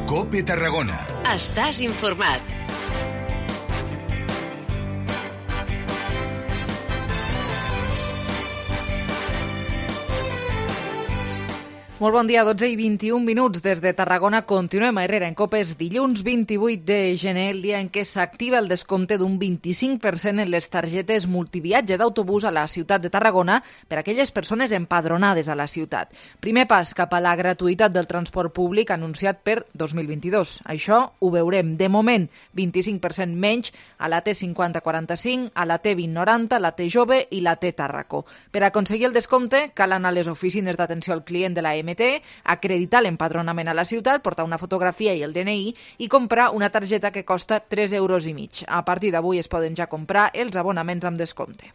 COPE Tarragona. Estàs informat. Molt bon dia, 12 i 21 minuts des de Tarragona. Continuem a Herrera en Copes. Dilluns 28 de gener, el dia en què s'activa el descompte d'un 25% en les targetes multiviatge d'autobús a la ciutat de Tarragona per a aquelles persones empadronades a la ciutat. Primer pas cap a la gratuïtat del transport públic anunciat per 2022. Això ho veurem. De moment, 25% menys a la T5045, a la T2090, la T Jove i la T Tàrraco. Per aconseguir el descompte, cal anar a les oficines d'atenció al client de la acreditar l'empadronament a la ciutat, portar una fotografia i el DNI i comprar una targeta que costa 3,5 euros. A partir d'avui es poden ja comprar els abonaments amb descompte.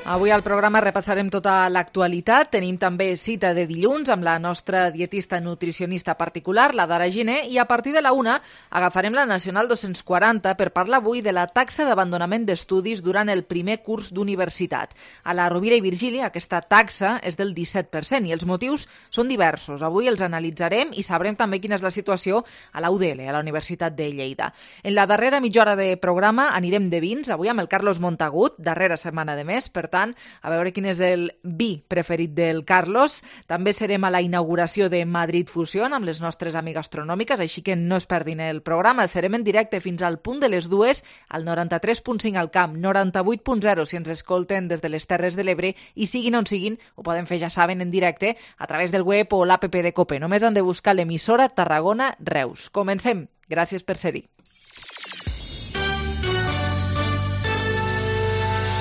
Avui al programa repassarem tota l'actualitat. Tenim també cita de dilluns amb la nostra dietista nutricionista particular, la Dara Giner, i a partir de la 1 agafarem la Nacional 240 per parlar avui de la taxa d'abandonament d'estudis durant el primer curs d'universitat. A la Rovira i Virgili aquesta taxa és del 17% i els motius són diversos. Avui els analitzarem i sabrem també quina és la situació a la UDL, a la Universitat de Lleida. En la darrera mitja hora de programa anirem de vins, avui amb el Carlos Montagut, darrera setmana de mes, per tant, a veure quin és el vi preferit del Carlos. També serem a la inauguració de Madrid Fusion amb les nostres amigues gastronòmiques, així que no es perdin el programa. Serem en directe fins al punt de les 2 al 93.5 al camp, 98.0 si ens escolten des de les Terres de l'Ebre i siguin on siguin, ho poden fer, ja saben, en directe a través del web o l'APP de COPE. Només han de buscar l'emissora Tarragona Reus. Comencem. Gràcies per ser-hi.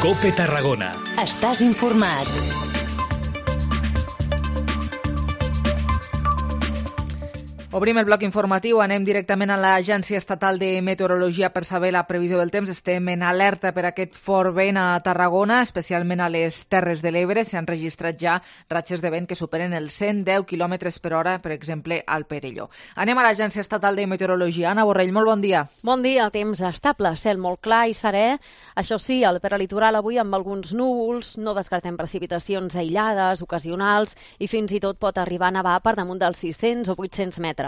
COPE Tarragona. Estàs informat. Obrim el bloc informatiu, anem directament a l'Agència Estatal de Meteorologia per saber la previsió del temps. Estem en alerta per aquest fort vent a Tarragona, especialment a les Terres de l'Ebre. S'han registrat ja ratxes de vent que superen els 110 km per hora, per exemple, al Perelló. Anem a l'Agència Estatal de Meteorologia. Anna Borrell, molt bon dia. Bon dia, temps estable, cel molt clar i serè. Això sí, al peralitoral avui amb alguns núvols, no descartem precipitacions aïllades, ocasionals, i fins i tot pot arribar a nevar per damunt dels 600 o 800 metres.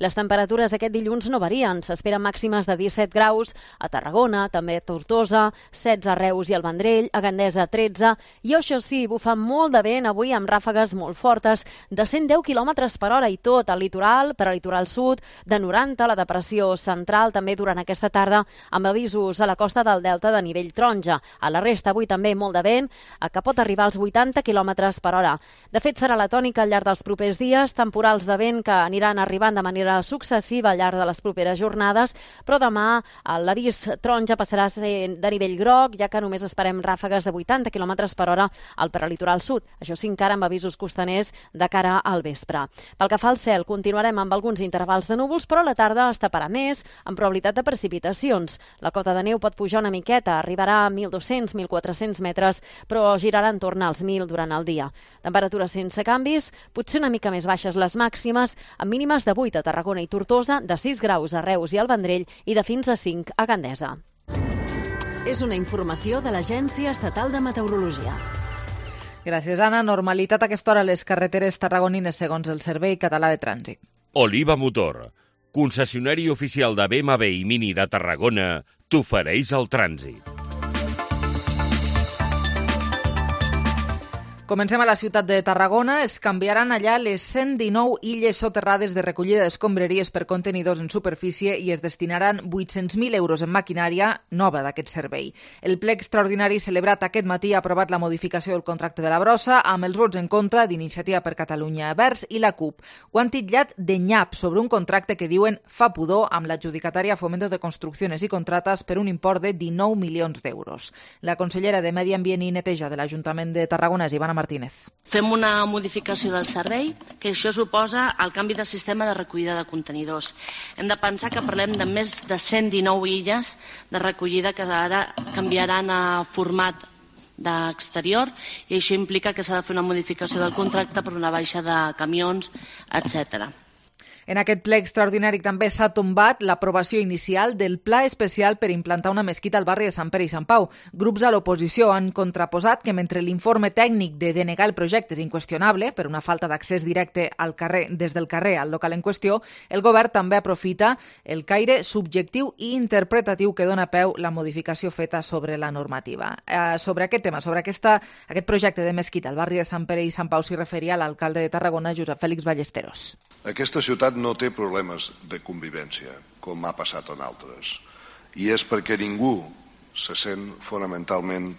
Les temperatures aquest dilluns no varien. S'esperen màximes de 17 graus a Tarragona, també a Tortosa, 16 a Reus i al Vendrell, a Gandesa 13, i això sí, bufa molt de vent avui amb ràfegues molt fortes de 110 km per hora i tot al litoral, per al litoral sud, de 90 a la depressió central, també durant aquesta tarda, amb avisos a la costa del Delta de nivell taronja. A la resta avui també molt de vent, que pot arribar als 80 km per hora. De fet, serà la tònica al llarg dels propers dies, temporals de vent que aniran arribant de manera successiva al llarg de les properes jornades, però demà l'avís taronja passarà a ser de nivell groc, ja que només esperem ràfegues de 80 km per hora al peralitoral sud. Això sí, encara amb avisos costaners de cara al vespre. Pel que fa al cel, continuarem amb alguns intervals de núvols, però a la tarda es taparà més, amb probabilitat de precipitacions. La cota de neu pot pujar una miqueta, arribarà a 1.200-1.400 metres, però girarà en torn als 1.000 durant el dia. Temperatures sense canvis, potser una mica més baixes les màximes, amb mínimes de 8 a Tarragona i Tortosa, de 6 graus a Reus i al Vendrell i de fins a 5 a Gandesa. És una informació de l'Agència Estatal de Meteorologia. Gràcies, Anna. Normalitat a aquesta hora a les carreteres tarragonines segons el Servei Català de Trànsit. Oliva Motor, concessionari oficial de BMW i Mini de Tarragona, t'ofereix el trànsit. Comencem a la ciutat de Tarragona. Es canviaran allà les 119 illes soterrades de recollida d'escombraries per contenidors en superfície i es destinaran 800.000 euros en maquinària nova d'aquest servei. El ple extraordinari celebrat aquest matí ha aprovat la modificació del contracte de la brossa amb els vots en contra d'Iniciativa per Catalunya Verds i la CUP. Ho han titllat de nyap sobre un contracte que diuen fa pudor amb l'adjudicatària Fomento de Construcciones i Contrates per un import de 19 milions d'euros. La consellera de Medi Ambient i Neteja de l'Ajuntament de Tarragona, Ivana Martínez. Fem una modificació del servei, que això suposa el canvi de sistema de recollida de contenidors. Hem de pensar que parlem de més de 119 illes de recollida que ara canviaran a format d'exterior i això implica que s'ha de fer una modificació del contracte per una baixa de camions, etc. En aquest ple extraordinari també s'ha tombat l'aprovació inicial del pla especial per implantar una mesquita al barri de Sant Pere i Sant Pau. Grups a l'oposició han contraposat que mentre l'informe tècnic de denegar el projecte és inqüestionable per una falta d'accés directe al carrer des del carrer al local en qüestió, el govern també aprofita el caire subjectiu i interpretatiu que dona peu la modificació feta sobre la normativa. Sobre aquest tema, sobre aquest projecte de mesquita al barri de Sant Pere i Sant Pau s'hi referia l'alcalde de Tarragona, Josep Fèlix Ballesteros. Aquesta ciutat no té problemes de convivència, com ha passat en altres, i és perquè ningú se sent fonamentalment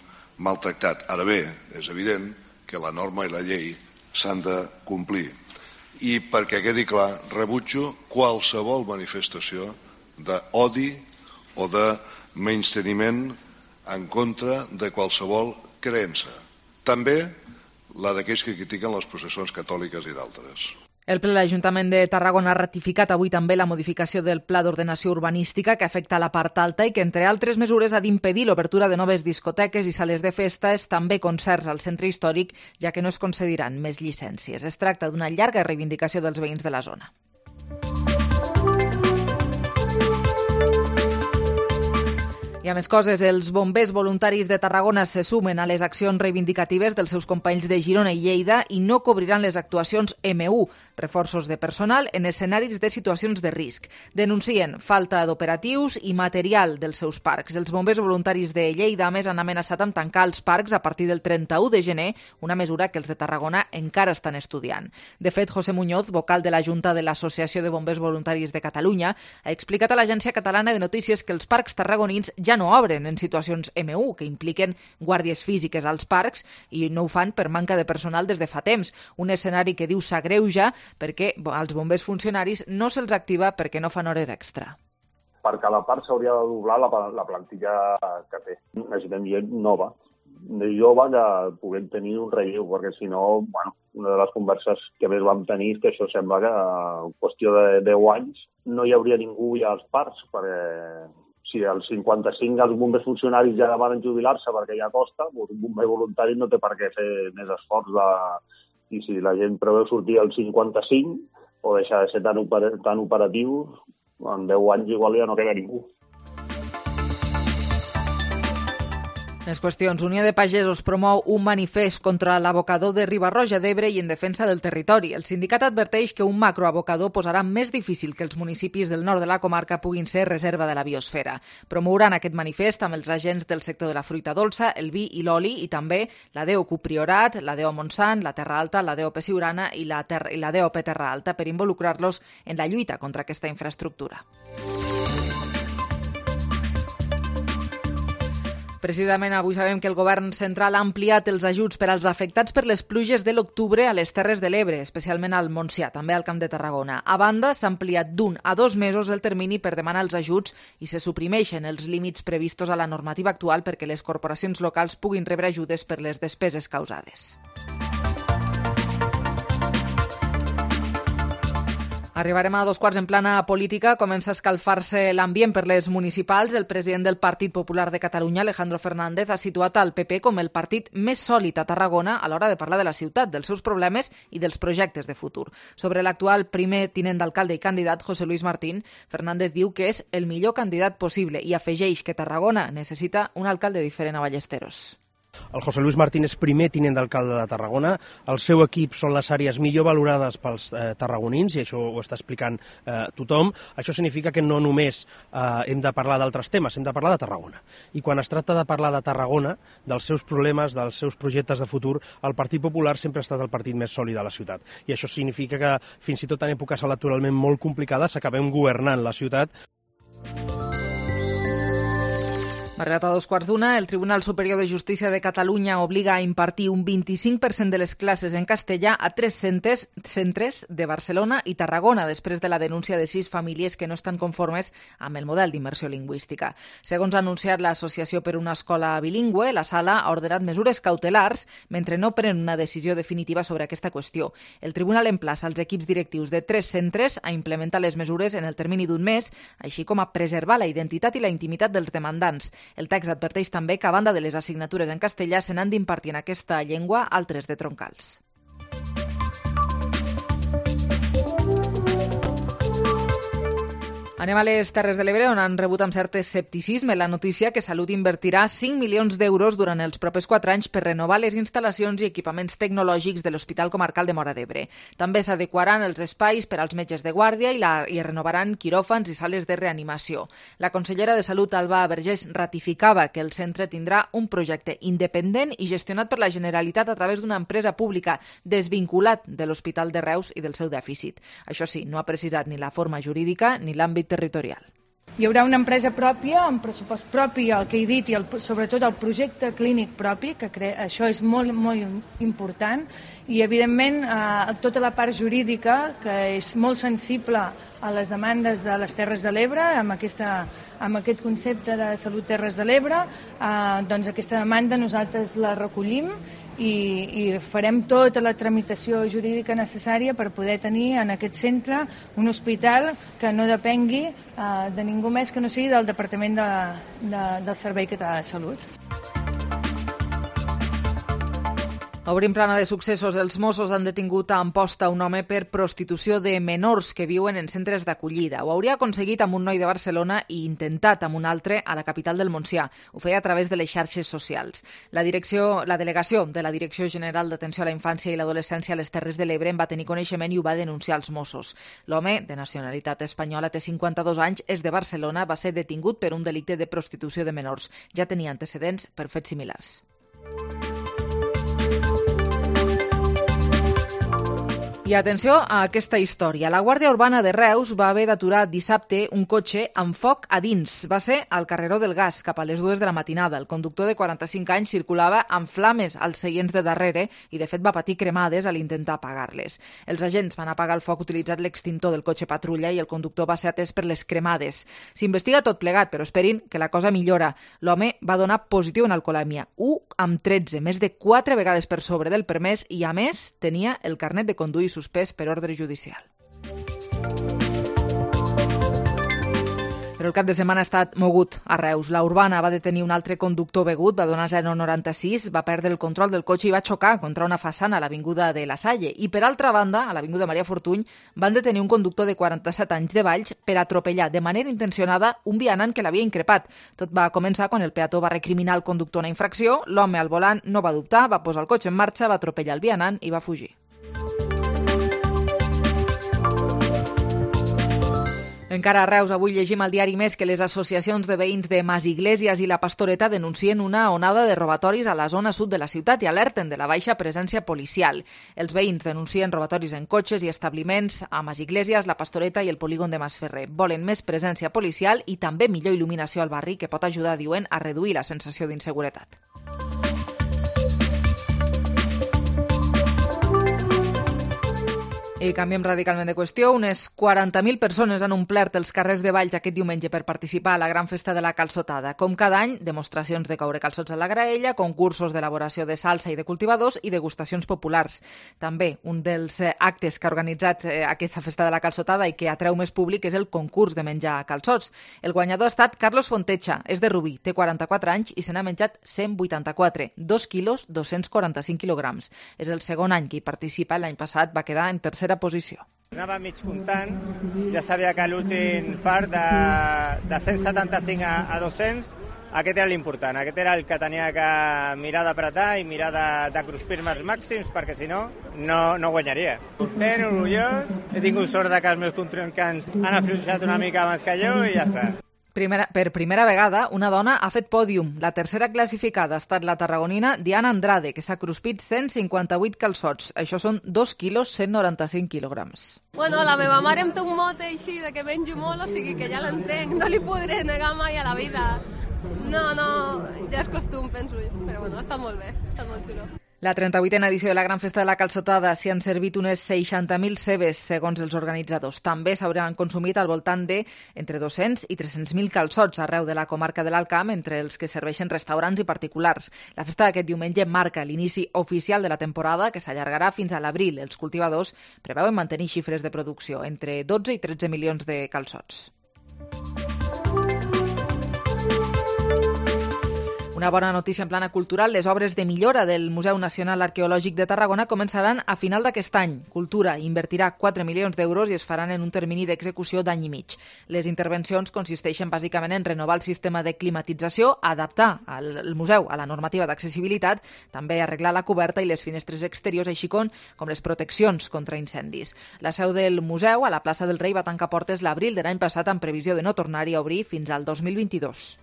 maltractat. Ara bé, és evident que la norma i la llei s'han de complir. I perquè quedi clar, rebutjo qualsevol manifestació d'odi o de menysteniment en contra de qualsevol creença. També la d'aquells que critiquen les processons catòliques i d'altres. El ple de l'Ajuntament de Tarragona ha ratificat avui també la modificació del Pla d'Ordenació Urbanística que afecta la part alta i que, entre altres mesures, ha d'impedir l'obertura de noves discoteques i sales de festes, també concerts al centre històric, ja que no es concediran més llicències. Es tracta d'una llarga reivindicació dels veïns de la zona. I a més coses, els bombers voluntaris de Tarragona se sumen a les accions reivindicatives dels seus companys de Girona i Lleida i no cobriran les actuacions M1, reforços de personal en escenaris de situacions de risc. Denuncien falta d'operatius i material dels seus parcs. Els bombers voluntaris de Lleida, a més, han amenaçat amb tancar els parcs a partir del 31 de gener, una mesura que els de Tarragona encara estan estudiant. De fet, José Muñoz, vocal de la Junta de l'Associació de Bombers Voluntaris de Catalunya, ha explicat a l'Agència Catalana de Notícies que els parcs tarragonins ja no obren en situacions M1, que impliquen guàrdies físiques als parcs, i no ho fan per manca de personal des de fa temps. Un escenari que diu s'agreuja perquè als bombers funcionaris no se'ls activa perquè no fan hores extra. Per cada part s'hauria de doblar la plantilla que té. Necessitem gent nova, jove, que puguem tenir un relleu, perquè si no, una de les converses que més vam tenir és que això sembla que en qüestió de 10 anys no hi hauria ningú ja als parcs, perquè si als 55 els bombers funcionaris ja van jubilar-se perquè ja costa, un bomber voluntari no té per què fer més esforç i si la gent preveu sortir als 55 o deixar de ser tan operatiu, en 10 anys igual ja no queda ningú. Més qüestions. Unió de Pagesos promou un manifest contra l'abocador de Riba-roja d'Ebre i en defensa del territori. El sindicat adverteix que un macroabocador posarà més difícil que els municipis del nord de la comarca puguin ser reserva de la biosfera. Promouran aquest manifest amb els agents del sector de la fruita dolça, el vi i l'oli i també la DOQ Priorat, la DO Montsant, la Terra Alta, la DOP Siurana i la DOP Terra Alta per involucrar-los en la lluita contra aquesta infraestructura. Precisament avui sabem que el govern central ha ampliat els ajuts per als afectats per les pluges de l'octubre a les Terres de l'Ebre, especialment al Montsià, també al Camp de Tarragona. A banda, s'ha ampliat d'1 a 2 mesos el termini per demanar els ajuts i se suprimeixen els límits previstos a la normativa actual perquè les corporacions locals puguin rebre ajudes per les despeses causades. Arribarem a 2:15 en plana política. Comença a escalfar-se l'ambient per les municipals. El president del Partit Popular de Catalunya, Alejandro Fernández, ha situat el PP com el partit més sòlid a Tarragona a l'hora de parlar de la ciutat, dels seus problemes i dels projectes de futur. Sobre l'actual primer tinent d'alcalde i candidat, José Luis Martín, Fernández diu que és el millor candidat possible i afegeix que Tarragona necessita un alcalde diferent a Ballesteros. El José Luis Martín és primer tinent d'alcalde de Tarragona. El seu equip són les àrees millor valorades pels tarragonins, i això ho està explicant tothom. Això significa que no només hem de parlar d'altres temes, hem de parlar de Tarragona. I quan es tracta de parlar de Tarragona, dels seus problemes, dels seus projectes de futur, el Partit Popular sempre ha estat el partit més sòlid de la ciutat. I això significa que, fins i tot en èpoques electoralment molt complicades, acabem governant la ciutat. Arribat a 2:15, el Tribunal Superior de Justícia de Catalunya obliga a impartir un 25% de les classes en castellà a 3 centres de Barcelona i Tarragona, després de la denúncia de 6 famílies que no estan conformes amb el model d'immersió lingüística. Segons ha anunciat l'Associació per una Escola Bilingüe, la Sala ha ordenat mesures cautelars mentre no pren una decisió definitiva sobre aquesta qüestió. El Tribunal emplaça els equips directius de 3 centres a implementar les mesures en el termini d'un mes, així com a preservar la identitat i la intimitat dels demandants. El text adverteix també que, a banda de les assignatures en castellà, se n'han d'impartir en aquesta llengua altres de troncals. Anem a les Terres de l'Ebre, on han rebut amb cert escepticisme la notícia que Salut invertirà 5 milions d'euros durant els propers 4 anys per renovar les instal·lacions i equipaments tecnològics de l'Hospital Comarcal de Móra d'Ebre. També s'adequaran els espais per als metges de guàrdia i renovaran quiròfans i sales de reanimació. La consellera de Salut, Alba Vergés, ratificava que el centre tindrà un projecte independent i gestionat per la Generalitat a través d'una empresa pública desvinculat de l'Hospital de Reus i del seu dèficit. Això sí, no ha precisat ni la forma jurídica ni l'àmbit territorial. Hi haurà una empresa pròpia, amb pressupost propi, el que he dit, i sobretot el projecte clínic propi, que això és molt, molt important, i evidentment tota la part jurídica, que és molt sensible a les demandes de les Terres de l'Ebre, amb aquest concepte de Salut Terres de l'Ebre, doncs aquesta demanda nosaltres la recollim i farem tota la tramitació jurídica necessària per poder tenir en aquest centre un hospital que no depengui de ningú més que no sigui del Departament del Servei Català de Salut. Obrim plana de successos. Els Mossos han detingut a Amposta un home per prostitució de menors que viuen en centres d'acollida. Ho hauria aconseguit amb un noi de Barcelona i intentat amb un altre a la capital del Montsià. Ho feia a través de les xarxes socials. La delegació de la Direcció General d'Atenció a la Infància i l'Adolescència a les Terres de l'Ebre en va tenir coneixement i ho va denunciar als Mossos. L'home, de nacionalitat espanyola, té 52 anys, és de Barcelona, va ser detingut per un delicte de prostitució de menors. Ja tenia antecedents per fets similars. I atenció a aquesta història. La Guàrdia Urbana de Reus va haver d'aturar dissabte un cotxe amb foc a dins. Va ser al carreró del Gas, cap a les 2 de la matinada. El conductor de 45 anys circulava amb flames als seients de darrere i, de fet, va patir cremades a l'intentar apagar-les. Els agents van apagar el foc utilitzant l'extintor del cotxe patrulla i el conductor va ser atès per les cremades. S'investiga tot plegat, però esperin que la cosa millora. L'home va donar positiu en alcoholèmia, 1/13, més de 4 vegades per sobre del permès i, a més, tenia el carnet de conduir suspès per ordre judicial. Però el cap de setmana ha estat mogut a Reus. La Urbana va detenir un altre conductor begut, va donar 0,96, va perdre el control del cotxe i va xocar contra una façana a l'avinguda de La Salle. I, per altra banda, a l'avinguda Maria Fortuny, van detenir un conductor de 47 anys de Valls per atropellar de manera intencionada un vianant que l'havia increpat. Tot va començar quan el peató va recriminar al conductor una infracció, l'home al volant no va dubtar, va posar el cotxe en marxa, va atropellar el vianant i va fugir. Encara a Reus, avui llegim al diari Més que les associacions de veïns de Masiglésies i la Pastoreta denuncien una onada de robatoris a la zona sud de la ciutat i alerten de la baixa presència policial. Els veïns denuncien robatoris en cotxes i establiments a Masiglésies, la Pastoreta i el polígon de Masferrer. Volen més presència policial i també millor il·luminació al barri que pot ajudar, diuen, a reduir la sensació d'inseguretat. I canviem radicalment de qüestió. Unes 40.000 persones han omplert els carrers de Valls aquest diumenge per participar a la gran festa de la calçotada. Com cada any, demostracions de coure calçots a la graella, concursos d'elaboració de salsa i de cultivadors i degustacions populars. També un dels actes que ha organitzat aquesta festa de la calçotada i que atreu més públic és el concurs de menjar calçots. El guanyador ha estat Carlos Fontecha, és de Rubí, té 44 anys i se n'ha menjat 184, 2 quilos, 245 quilograms. És el segon any que hi participa, l'any passat va quedar en tercera posició. Anava mig comptant, ja sabia que l'últim fart de 175 a 200, aquest era l'important, aquest era el que tenia que mirar d'apretar i mirar de cruspir-me els màxims, perquè si no, no guanyaria. Content, orgullós, he tingut sort que els meus contrincants han afluixat una mica abans que jo i ja està. Per primera vegada, una dona ha fet pòdium. La tercera classificada ha estat la tarragonina Diana Andrade, que s'ha cruspit 158 calçots. Això són 2 quilos, 195 quilograms. Bueno, la meva mare em té un mote així de que menjo molt, o sigui que ja l'entenc. No li podré negar mai a la vida. No, ja és costum, penso. Però bueno, ha estat molt bé, ha estat molt xulo. La 38a edició de la Gran Festa de la Calçotada s'hi han servit unes 60.000 cebes, segons els organitzadors. També s'hauran consumit al voltant de entre 200 i 300.000 calçots arreu de la comarca de l'Alt Camp, entre els que serveixen restaurants i particulars. La festa d'aquest diumenge marca l'inici oficial de la temporada, que s'allargarà fins a l'abril. Els cultivadors preveuen mantenir xifres de producció entre 12 i 13 milions de calçots. Una bona notícia en plana cultural, les obres de millora del Museu Nacional Arqueològic de Tarragona començaran a final d'aquest any. Cultura invertirà 4 milions d'euros i es faran en un termini d'execució d'any i mig. Les intervencions consisteixen bàsicament en renovar el sistema de climatització, adaptar el museu a la normativa d'accessibilitat, també arreglar la coberta i les finestres exteriors, així com les proteccions contra incendis. La seu del museu, a la plaça del Rei, va tancar portes l'abril de l'any passat amb previsió de no tornar-hi a obrir fins al 2022.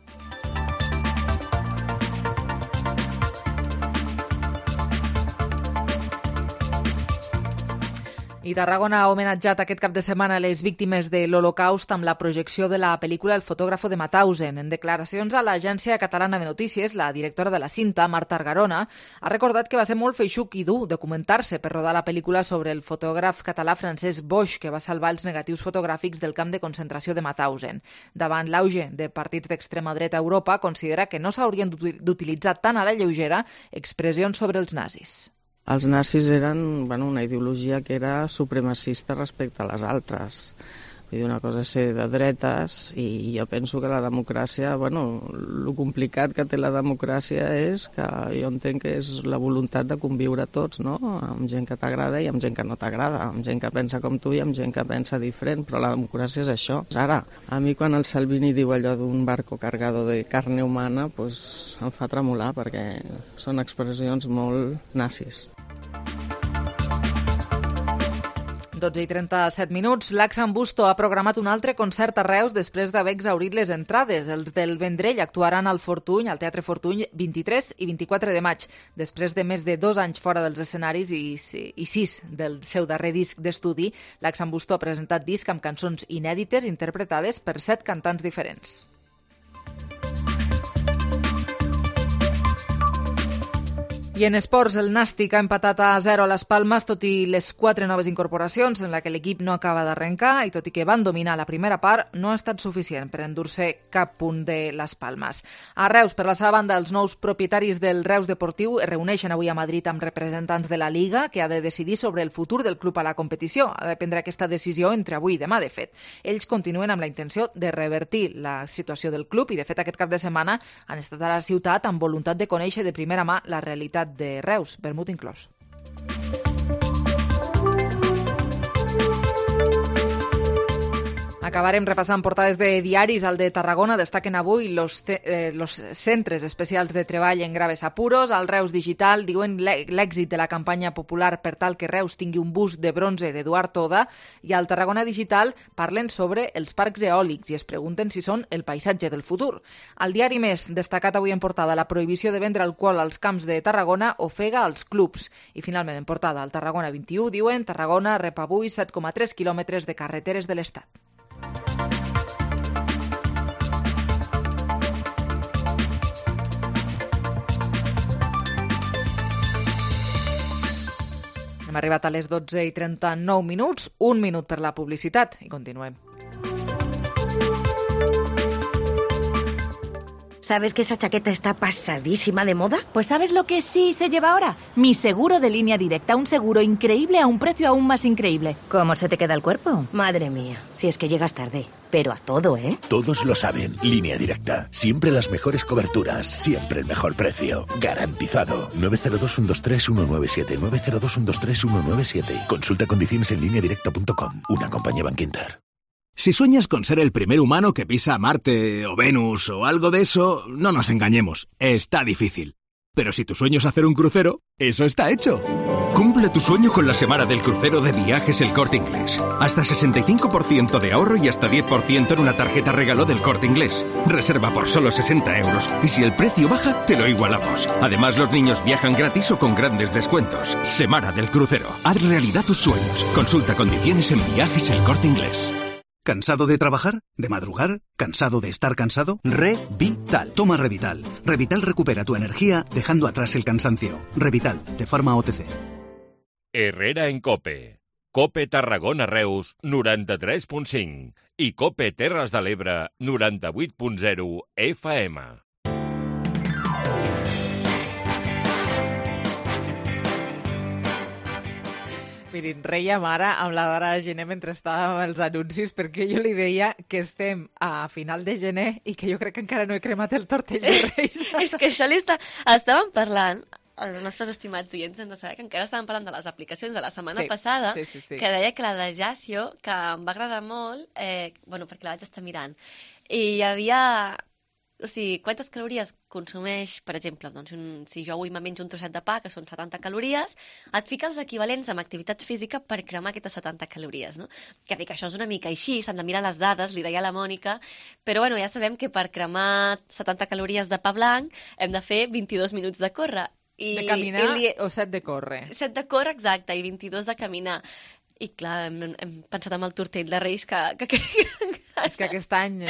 I Tarragona ha homenatjat aquest cap de setmana les víctimes de l'Holocaust amb la projecció de la pel·lícula El fotògrafo de Mauthausen. En declaracions a l'Agència Catalana de Notícies, la directora de la cinta, Marta Argarona, ha recordat que va ser molt feixuc i dur documentar-se per rodar la pel·lícula sobre el fotògraf català Francesc Boix, que va salvar els negatius fotogràfics del camp de concentració de Mauthausen. Davant l'auge de partits d'extrema dreta a Europa, considera que no s'haurien d'utilitzar tan a la lleugera expressions sobre els nazis. Els nazis eren una ideologia que era supremacista respecte a les altres. Vull dir, una cosa és ser de dretes i jo penso que la democràcia, el complicat que té la democràcia és que jo entenc que és la voluntat de conviure tots, no? Amb gent que t'agrada i amb gent que no t'agrada, amb gent que pensa com tu i amb gent que pensa diferent, però la democràcia és això. Ara, a mi quan el Salvini diu allò d'un barco cargado de carne humana, em fa tremolar perquè són expressions molt nazis. 12:37. L'Axan Busto ha programat un altre concert a Reus després d'haver exhaurit les entrades. Els del Vendrell actuaran al Fortuny, al Teatre Fortuny, 23 i 24 de maig. Després de més de 2 anys fora dels escenaris i 6 del seu darrer disc d'estudi, l'Axan Busto ha presentat disc amb cançons inèdites interpretades per 7 cantants diferents. I en esports, el Nàstic ha empatat a 0 a les Palmes, tot i les 4 noves incorporacions en la que l'equip no acaba d'arrencar, i tot i que van dominar la primera part, no ha estat suficient per endur-se cap punt de les Palmes. A Reus, per la seva banda, els nous propietaris del Reus Deportiu es reuneixen avui a Madrid amb representants de la Liga, que ha de decidir sobre el futur del club a la competició. Ha de prendre aquesta decisió entre avui i demà, de fet. Ells continuen amb la intenció de revertir la situació del club i, de fet, aquest cap de setmana han estat a la ciutat amb voluntat de conèixer de primera mà la realitat de Reus, vermut inclòs. Acabarem repassant portades de diaris. Al de Tarragona destaquen avui los centres especials de treball en graves apuros. Al Reus Digital diuen l'èxit de la campanya popular per tal que Reus tingui un bust de bronze d'Eduard Toda, i al Tarragona Digital parlen sobre els parcs eòlics i es pregunten si són el paisatge del futur. Al diari Més, destacat avui en portada, la prohibició de vendre alcohol als camps de Tarragona ofega als clubs. I finalment en portada, al Tarragona 21 diuen Tarragona rep avui 7,3 quilòmetres de carreteres de l'Estat. Hem arribat a les 12:39, 1 minut per la publicitat i continuem. ¿Sabes que esa chaqueta está pasadísima de moda? Pues ¿sabes lo que sí se lleva ahora? Mi seguro de Línea Directa, un seguro increíble a un precio aún más increíble. ¿Cómo se te queda el cuerpo? Madre mía, si es que llegas tarde. Pero a todo, ¿eh? Todos lo saben. Línea Directa. Siempre las mejores coberturas. Siempre el mejor precio. Garantizado. 902-123-197. 902-123-197. Consulta condiciones en lineadirecta.com. Una compañía Bankinter. Si sueñas con ser el primer humano que pisa Marte o Venus o algo de eso, no nos engañemos. Está difícil. Pero si tu sueño es hacer un crucero, eso está hecho. Cumple tu sueño con la semana del crucero de Viajes El Corte Inglés. Hasta 65% de ahorro y hasta 10% en una tarjeta regalo del Corte Inglés. Reserva por solo 60 euros y si el precio baja, te lo igualamos. Además, los niños viajan gratis o con grandes descuentos. Semana del crucero. Haz realidad tus sueños. Consulta condiciones en Viajes El Corte Inglés. ¿Cansado de trabajar? ¿De madrugar? ¿Cansado de estar cansado? Revital. Toma Revital. Revital recupera tu energía dejando atrás el cansancio. Revital, de Pharma OTC. Herrera en COPE. COPE Tarragona Reus 93.5 i COPE Terres de l'Ebre 98.0 FM. Mirin, reiem ara amb la Dara Gené mentre estàvem als anuncis, perquè jo li deia que estem a final de gener i que jo crec que encara no he cremat el tortell de Reis. És que això estàvem parlant, els nostres estimats oients hem de saber que encara estàvem parlant de les aplicacions de la setmana passada, que deia que la de Jasio, que em va agradar molt, perquè la vaig estar mirant, i hi havia... O sigui, quantes calories consumeix, per exemple, doncs si jo avui me menjo un trosset de pa, que són 70 calories, et fica els equivalents amb activitat física per cremar aquestes 70 calories, no? Que dic, això és una mica així, s'han de mirar les dades, li deia a la Mònica, però bueno, ja sabem que per cremar 70 calories de pa blanc hem de fer 22 minuts de córrer. De caminar o 7 de córrer? 7 de córrer, exacte, i 22 de caminar. I clar, hem pensat en el tortell de Reis que és que aquest any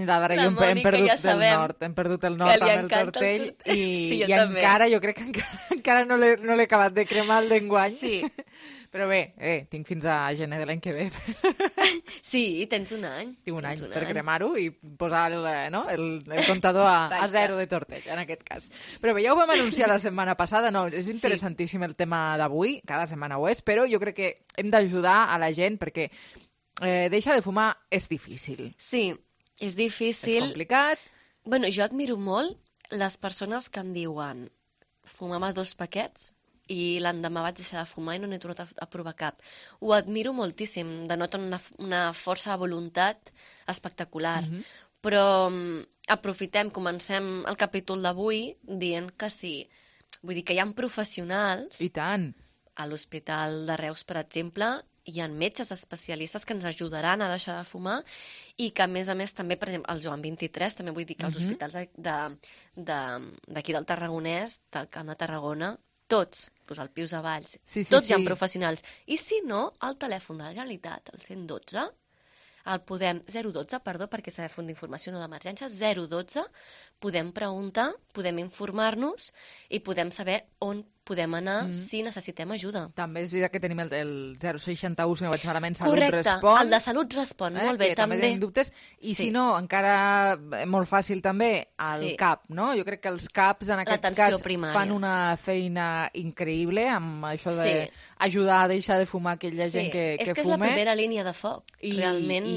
la Dara i jo hem perdut el nord, amb el tortell i encara, jo crec que encara no l'he acabat de cremar el d'enguany. Sí. Però bé, tinc fins a gener de l'any que ve. Sí, tens un any. Tinc un any per cremar-ho i posar el comptador a 0 de tortell, en aquest cas. Però bé, ja ho vam anunciar la setmana passada, és interessantíssim el tema d'avui, cada setmana ho és, però jo crec que hem d'ajudar a la gent perquè deixar de fumar és difícil. Sí, és difícil. És complicat. Bueno, jo admiro molt les persones que em diuen fumava 2 paquets i l'endemà vaig deixar de fumar i no n'he tornat a provar cap. Ho admiro moltíssim, denoten una força de voluntat espectacular. Però aprofitem, comencem el capítol d'avui dient que sí. Vull dir que hi ha professionals... I tant. A l'Hospital de Reus, per exemple, hi ha metges especialistes que ens ajudaran a deixar de fumar i que, a més, també, per exemple, el Joan 23, també vull dir que els hospitals d'aquí del Tarragonès, del Camp de Tarragona, tots, el Pius de Valls, tots hi ha professionals. I si no, el telèfon de la Generalitat, el 112, el podem... 012, perdó, perquè s'ha de fer una informació no d'emergència, 012, podem preguntar, podem informar-nos i podem saber on podem anar si necessitem ajuda. També és veritat que tenim el 061, si no vaig malament, Salut Correcte, Respon. El de Salut Respon, molt bé, que també tenim dubtes. I si no, encara molt fàcil també, el CAP, no? Jo crec que els CAPs en aquest cas fan una feina increïble amb això d'ajudar a deixar de fumar aquella gent que fuma. És que és la primera línia de foc, realment.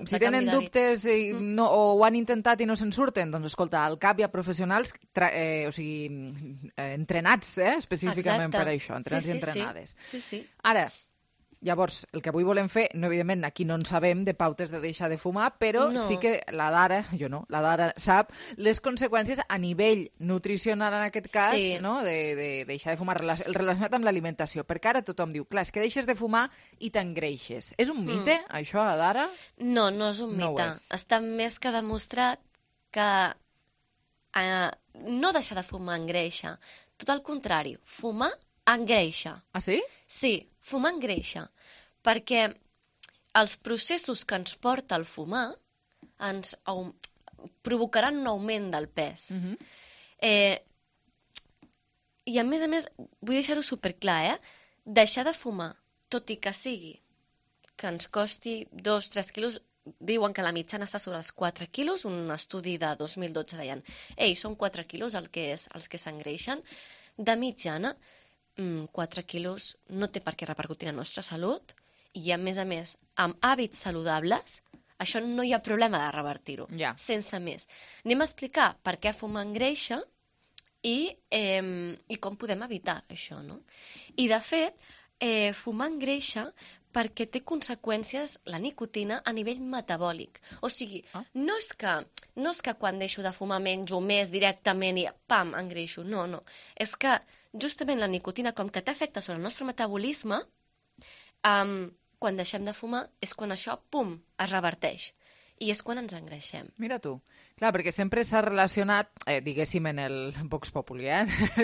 Si tenen dubtes o ho han intentat i no se'n surten, doncs escolta, al CAP hi ha professionals entrenats específicament per això, entrenats i entrenades. Sí. Ara, llavors, el que avui volem fer, evidentment, aquí no en sabem de pautes de deixar de fumar, però sí que la Dara, jo no, la Dara sap les conseqüències a nivell nutricional, en aquest cas, de deixar de fumar, relacionat amb l'alimentació, perquè ara tothom diu, clar, és que deixes de fumar i t'engreixes. És un mite, això, Dara? No, no és un mite. Està més que demostrat que no deixar de fumar engreixa. Tot el contrari, fumar engreixa. Ah, sí? Sí, fumar engreixa. Perquè els processos que ens porta el fumar ens provocaran un augment del pes. I a més, vull deixar-ho superclar, deixar de fumar, tot i que sigui que ens costi 2-3 quilos, diuen que la mitjana està sobre els 4 quilos, un estudi de 2012 deien, són 4 quilos els que s'engreixen, de mitjana, 4 quilos no té per què repercutir en la nostra salut i, a més, amb hàbits saludables, això no hi ha problema de revertir-ho, sense més. Anem a explicar per què fumar engreixa i com podem evitar això, no? I, de fet, fumar engreixa perquè té conseqüències la nicotina a nivell metabòlic. O sigui, no és que quan deixo de fumar menjo més directament i pam, engreixo. No. És que justament la nicotina, com que té efecte sobre el nostre metabolisme, quan deixem de fumar és quan això, pum, es reverteix. I és quan ens engreixem. Mira tu. Clar, perquè sempre s'ha relacionat, diguéssim, en el Vox Populi,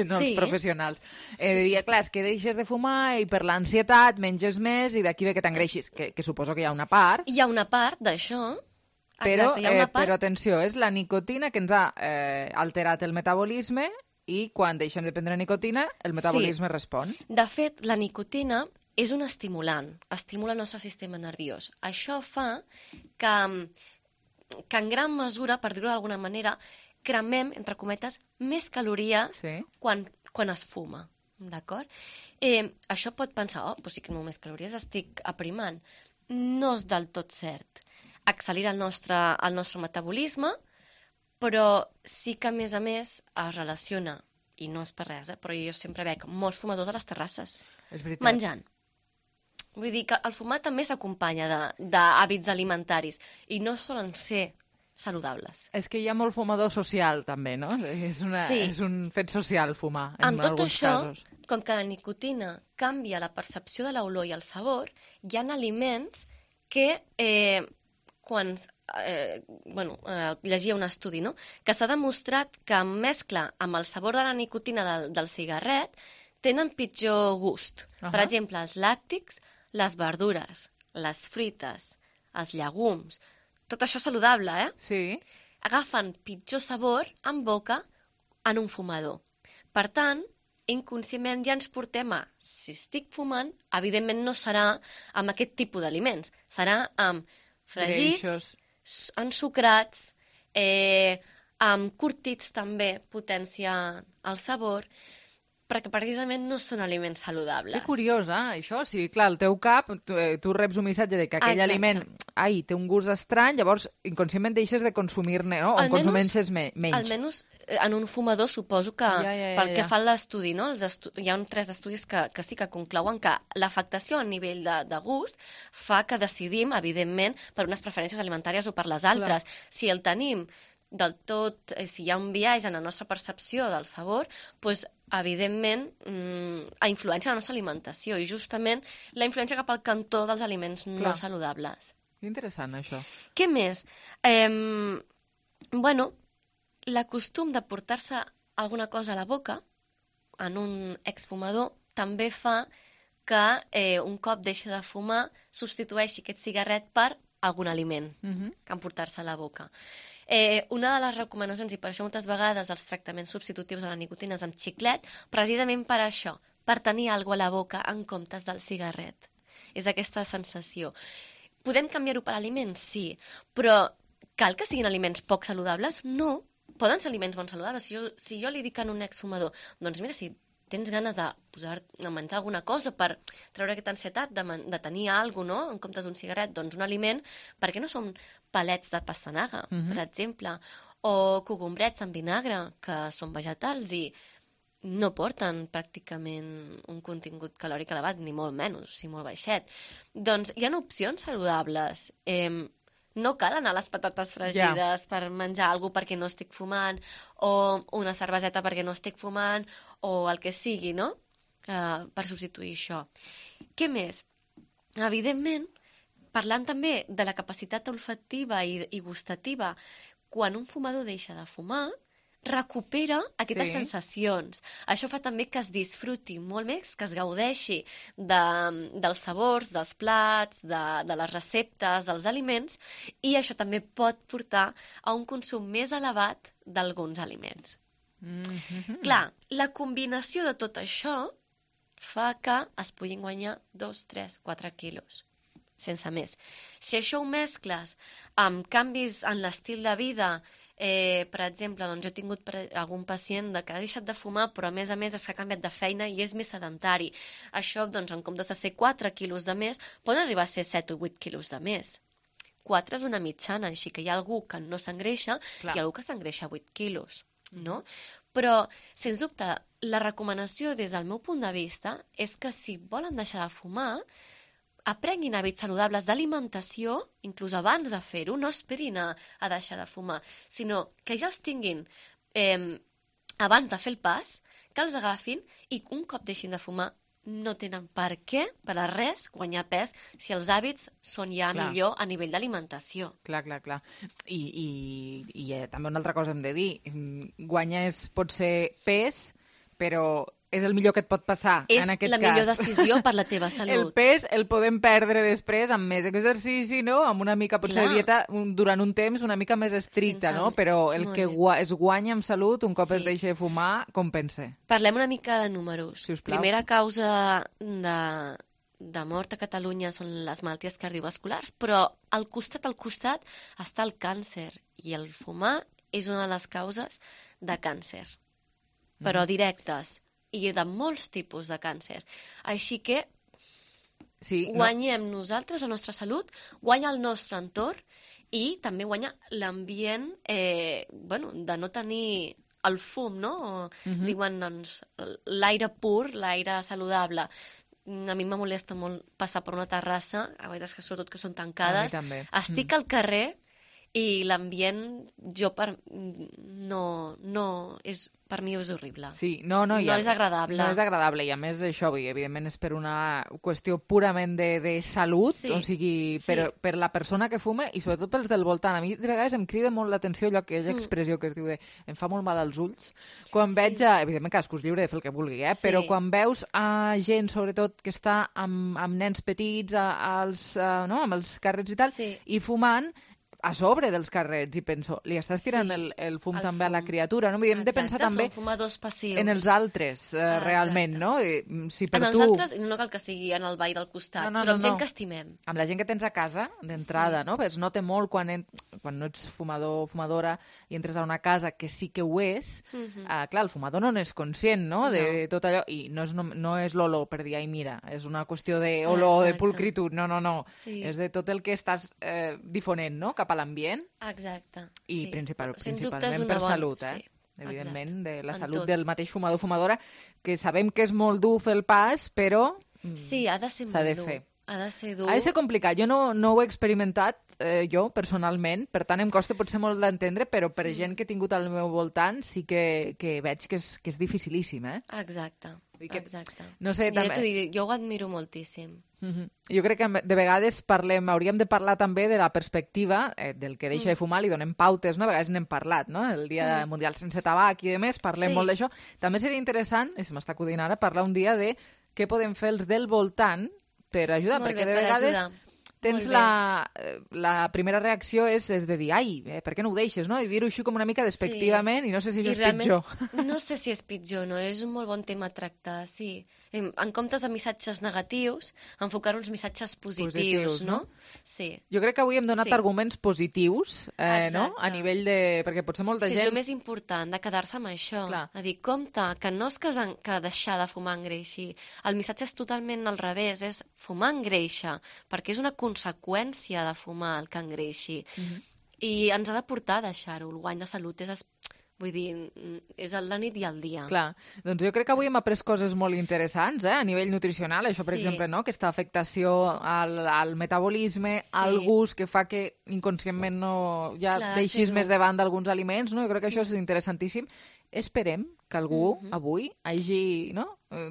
no els professionals. Clar, és que deixes de fumar i per l'ansietat menges més i d'aquí ve que t'engreixis, que suposo que hi ha una part. Hi ha una part d'això. Però atenció, és la nicotina que ens ha alterat el metabolisme i quan deixem de prendre nicotina, el metabolisme respon. De fet, la nicotina és un estimulant, estimula el nostre sistema nerviós. Això fa que en gran mesura, per dir-ho d'alguna manera, cremem, entre cometes, més calories quan es fuma. d'acord? Això pot pensar, doncs sí que només calories estic aprimant. No és del tot cert. Accelera el nostre metabolisme, però sí que, a més, es relaciona, i no és per res, però jo sempre veig molts fumadors a les terrasses, menjant. Vull dir que el fumar també s'acompanya d'hàbits alimentaris, i no solen ser saludables. És que hi ha molt fumador social, també, no? És un fet social, fumar, en alguns casos. Com que la nicotina canvia la percepció de l'olor i el sabor, hi ha aliments que llegia un estudi, no? Que s'ha demostrat que en mescla amb el sabor de la nicotina del cigarret tenen pitjor gust. Per exemple, els làctics, les verdures, les frites, els llegums, tot això saludable, Sí. Agafen pitjor sabor en boca en un fumador. Per tant, inconscientment ja ens portem a, si estic fumant, evidentment no serà amb aquest tipus d'aliments, serà amb fregits, ensucrats, amb curtits també potencia el sabor, perquè precisament no són aliments saludables. Que curiós, això. O sigui, clar, al teu cap, tu reps un missatge de que aquell aliment té un gust estrany, llavors inconscientment deixes de consumir-ne, no? O consumeixes menys. Almenys en un fumador suposo que, pel que fa a l'estudi, no? Hi ha 3 estudis que sí que conclouen que l'afectació a nivell de gust fa que decidim, evidentment, per unes preferències alimentàries o per les altres. Clar. Si el tenim del tot, si hi ha un biaix en la nostra percepció del sabor, doncs, evidentment, influència la nostra alimentació i justament la influència cap al cantó dels aliments no saludables. Interessant, això. Què més? L'acostum de portar-se alguna cosa a la boca en un exfumador també fa que un cop deixi de fumar substitueixi aquest cigarret per algun aliment que emportar-se a la boca. Una de les recomanacions, i per això moltes vegades els tractaments substitutius a la nicotina és amb xiclet, precisament per això, per tenir alguna cosa a la boca en comptes del cigarret. És aquesta sensació. Podem canviar-ho per aliments? Sí, però cal que siguin aliments poc saludables? No, poden ser aliments bons saludables. Si jo li dic a un exfumador, doncs mira, si tens ganes de menjar alguna cosa per treure aquesta ansietat de tenir alguna cosa, no? En comptes d'un cigarret, doncs un aliment, perquè no són palets de pastanaga, per exemple, o cogombrets amb vinagre, que són vegetals i no porten pràcticament un contingut calòric elevat, ni molt menys, o sigui, molt baixet. Doncs hi ha opcions saludables. No cal anar a les patates fregides per menjar alguna cosa perquè no estic fumant, o una cerveseta perquè no estic fumant, o el que sigui, no? Per substituir això. Què més? Evidentment, parlant també de la capacitat olfativa i gustativa, quan un fumador deixa de fumar, recupera aquestes sensacions. Això fa també que es disfruti molt més, que es gaudeixi dels sabors, dels plats, de les receptes, dels aliments, i això també pot portar a un consum més elevat d'alguns aliments. Clar, la combinació de tot això fa que es puguin guanyar 2, 3, 4 quilos, sense més. Si això ho mescles amb canvis en l'estil de vida, per exemple, doncs jo he tingut algun pacient que ha deixat de fumar, però a més és que ha canviat de feina i és més sedentari. Això, doncs, en comptes de ser 4 quilos de més, poden arribar a ser 7 o 8 quilos de més. 4 és una mitjana, així que hi ha algú que no s'engreixa i algú que s'engreixa 8 quilos, no? Però, sens dubte, la recomanació des del meu punt de vista és que si volen deixar de fumar, aprenguin hàbits saludables d'alimentació, inclús abans de fer-ho, no esperin a deixar de fumar, sinó que ja els tinguin abans de fer el pas, que els agafin i un cop deixin de fumar no tenen per què, per a res, guanyar pes si els hàbits són ja millor a nivell d'alimentació. Clar. I també una altra cosa hem de dir, guanyar pot ser pes, però és el millor que et pot passar en aquest cas. És la millor decisió per la teva salut. El pes el podem perdre després amb més exercici, no? Amb una mica, potser, de dieta durant un temps una mica més estricta, no? Però el que es guanya amb salut, un cop es deixa de fumar, compensa. Parlem una mica de números. Sisplau. Primera causa de mort a Catalunya són les malalties cardiovasculars, però al costat està el càncer, i el fumar és una de les causes de càncer, però directes. i de molts tipus de càncer. Així que sí, guanyem nosaltres, la nostra salut, guanya el nostre entorn i també guanya l'ambient de no tenir el fum, no? Diuen, doncs, l'aire pur, l'aire saludable. A mi me molesta molt passar per una terrassa, a vegades que sobretot que són tancades. A mi també. Estic al carrer i l'ambient, per mi és horrible. Sí, no és agradable. No és agradable, i a més això, evidentment, és per una qüestió purament de salut, sí, o sigui, sí, per la persona que fuma i sobretot pels del voltant. A mi de vegades em crida molt l'atenció allò que és expressió que es diu de em fa molt mal als ulls. Quan veig, evidentment cadascú és lliure de fer el que vulgui, Sí. però quan veus a gent, sobretot, que està amb nens petits, amb els carrets i tal, i fumant, a sobre dels carrets, i penso, li estàs tirant el fum també a la criatura, no? Hem de pensar també són fumadors passius. en els altres, realment, no? Si per en els tu... altres, no cal que sigui en el ball del costat, però amb gent que estimem. Amb la gent que tens a casa, d'entrada, no? Es nota molt quan no ets fumador o fumadora i entres a una casa que sí que ho és, clar, el fumador no n'és conscient, no? De tot allò, i no és l'olor per dir, ai, mira, és una qüestió d'olor, de pulcritud, no. Sí. És de tot el que estàs difonent, no?, cap a l'ambient. Exacte. I sí. principalment per salut, Sí. Evidentment, de la En salut tot. del mateix fumador o fumadora, que sabem que és molt dur fer el pas, però Sí, ha de ser s'ha de molt dur. fer. Ha de ser dur. Ha de ser complicat. Jo no ho he experimentat, jo, personalment, per tant em costa potser molt d'entendre, però per gent que he tingut al meu voltant sí que veig que és dificilíssim, Exacte. No sé, també... Jo ho admiro moltíssim. Jo crec que de vegades hauríem de parlar també de la perspectiva del que deixa de fumar, li donem pautes, no? A vegades n'hem parlat, no? El Dia Mundial Sense Tabac i demés, parlem molt d'això. També seria interessant, i se m'està acudint ara, parlar un dia de què podem fer els del voltant per ajudar, perquè de vegades tens la primera reacció és de dir, ai, per què no ho deixes, no? I dir-ho així com una mica despectivament, i no sé si això és pitjor. No sé si és pitjor, no? És un molt bon tema a tractar, sí. En comptes de missatges negatius, enfocar uns missatges positius, no? Sí. Jo crec que avui hem donat arguments positius, no? A nivell de... Perquè potser molta gent... Sí, és el més important, de quedar-se amb això. Clar. A dir, compte, que no és que deixar de fumar engreixi. El missatge és totalment al revés, és fumar engreixa, perquè és una conseqüència de fumar el que engreixi. I ens ha de portar a deixar-ho. El guany de salut vull dir, és la nit i el dia. Clar, doncs jo crec que avui hem après coses molt interessants, a nivell nutricional, això, per exemple, no? Aquesta afectació al metabolisme, al gust, que fa que inconscientment deixis més de banda alguns aliments, no? Jo crec que això és interessantíssim. Esperem que algú avui hagi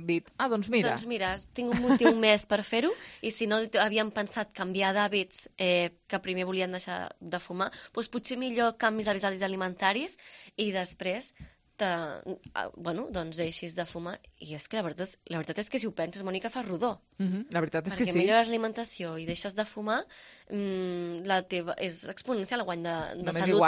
dit, doncs mira. Doncs mira, tinc un motiu més per fer-ho, i si no havíem pensat canviar d'hàbits que primer volien deixar de fumar, doncs potser millor canvis alimentaris i després doncs deixis de fumar. I és que la veritat és que si ho penses, Mònica, fa rodó. La veritat és que sí. Perquè millores l'alimentació i deixes de fumar, és exponencial el guany de salut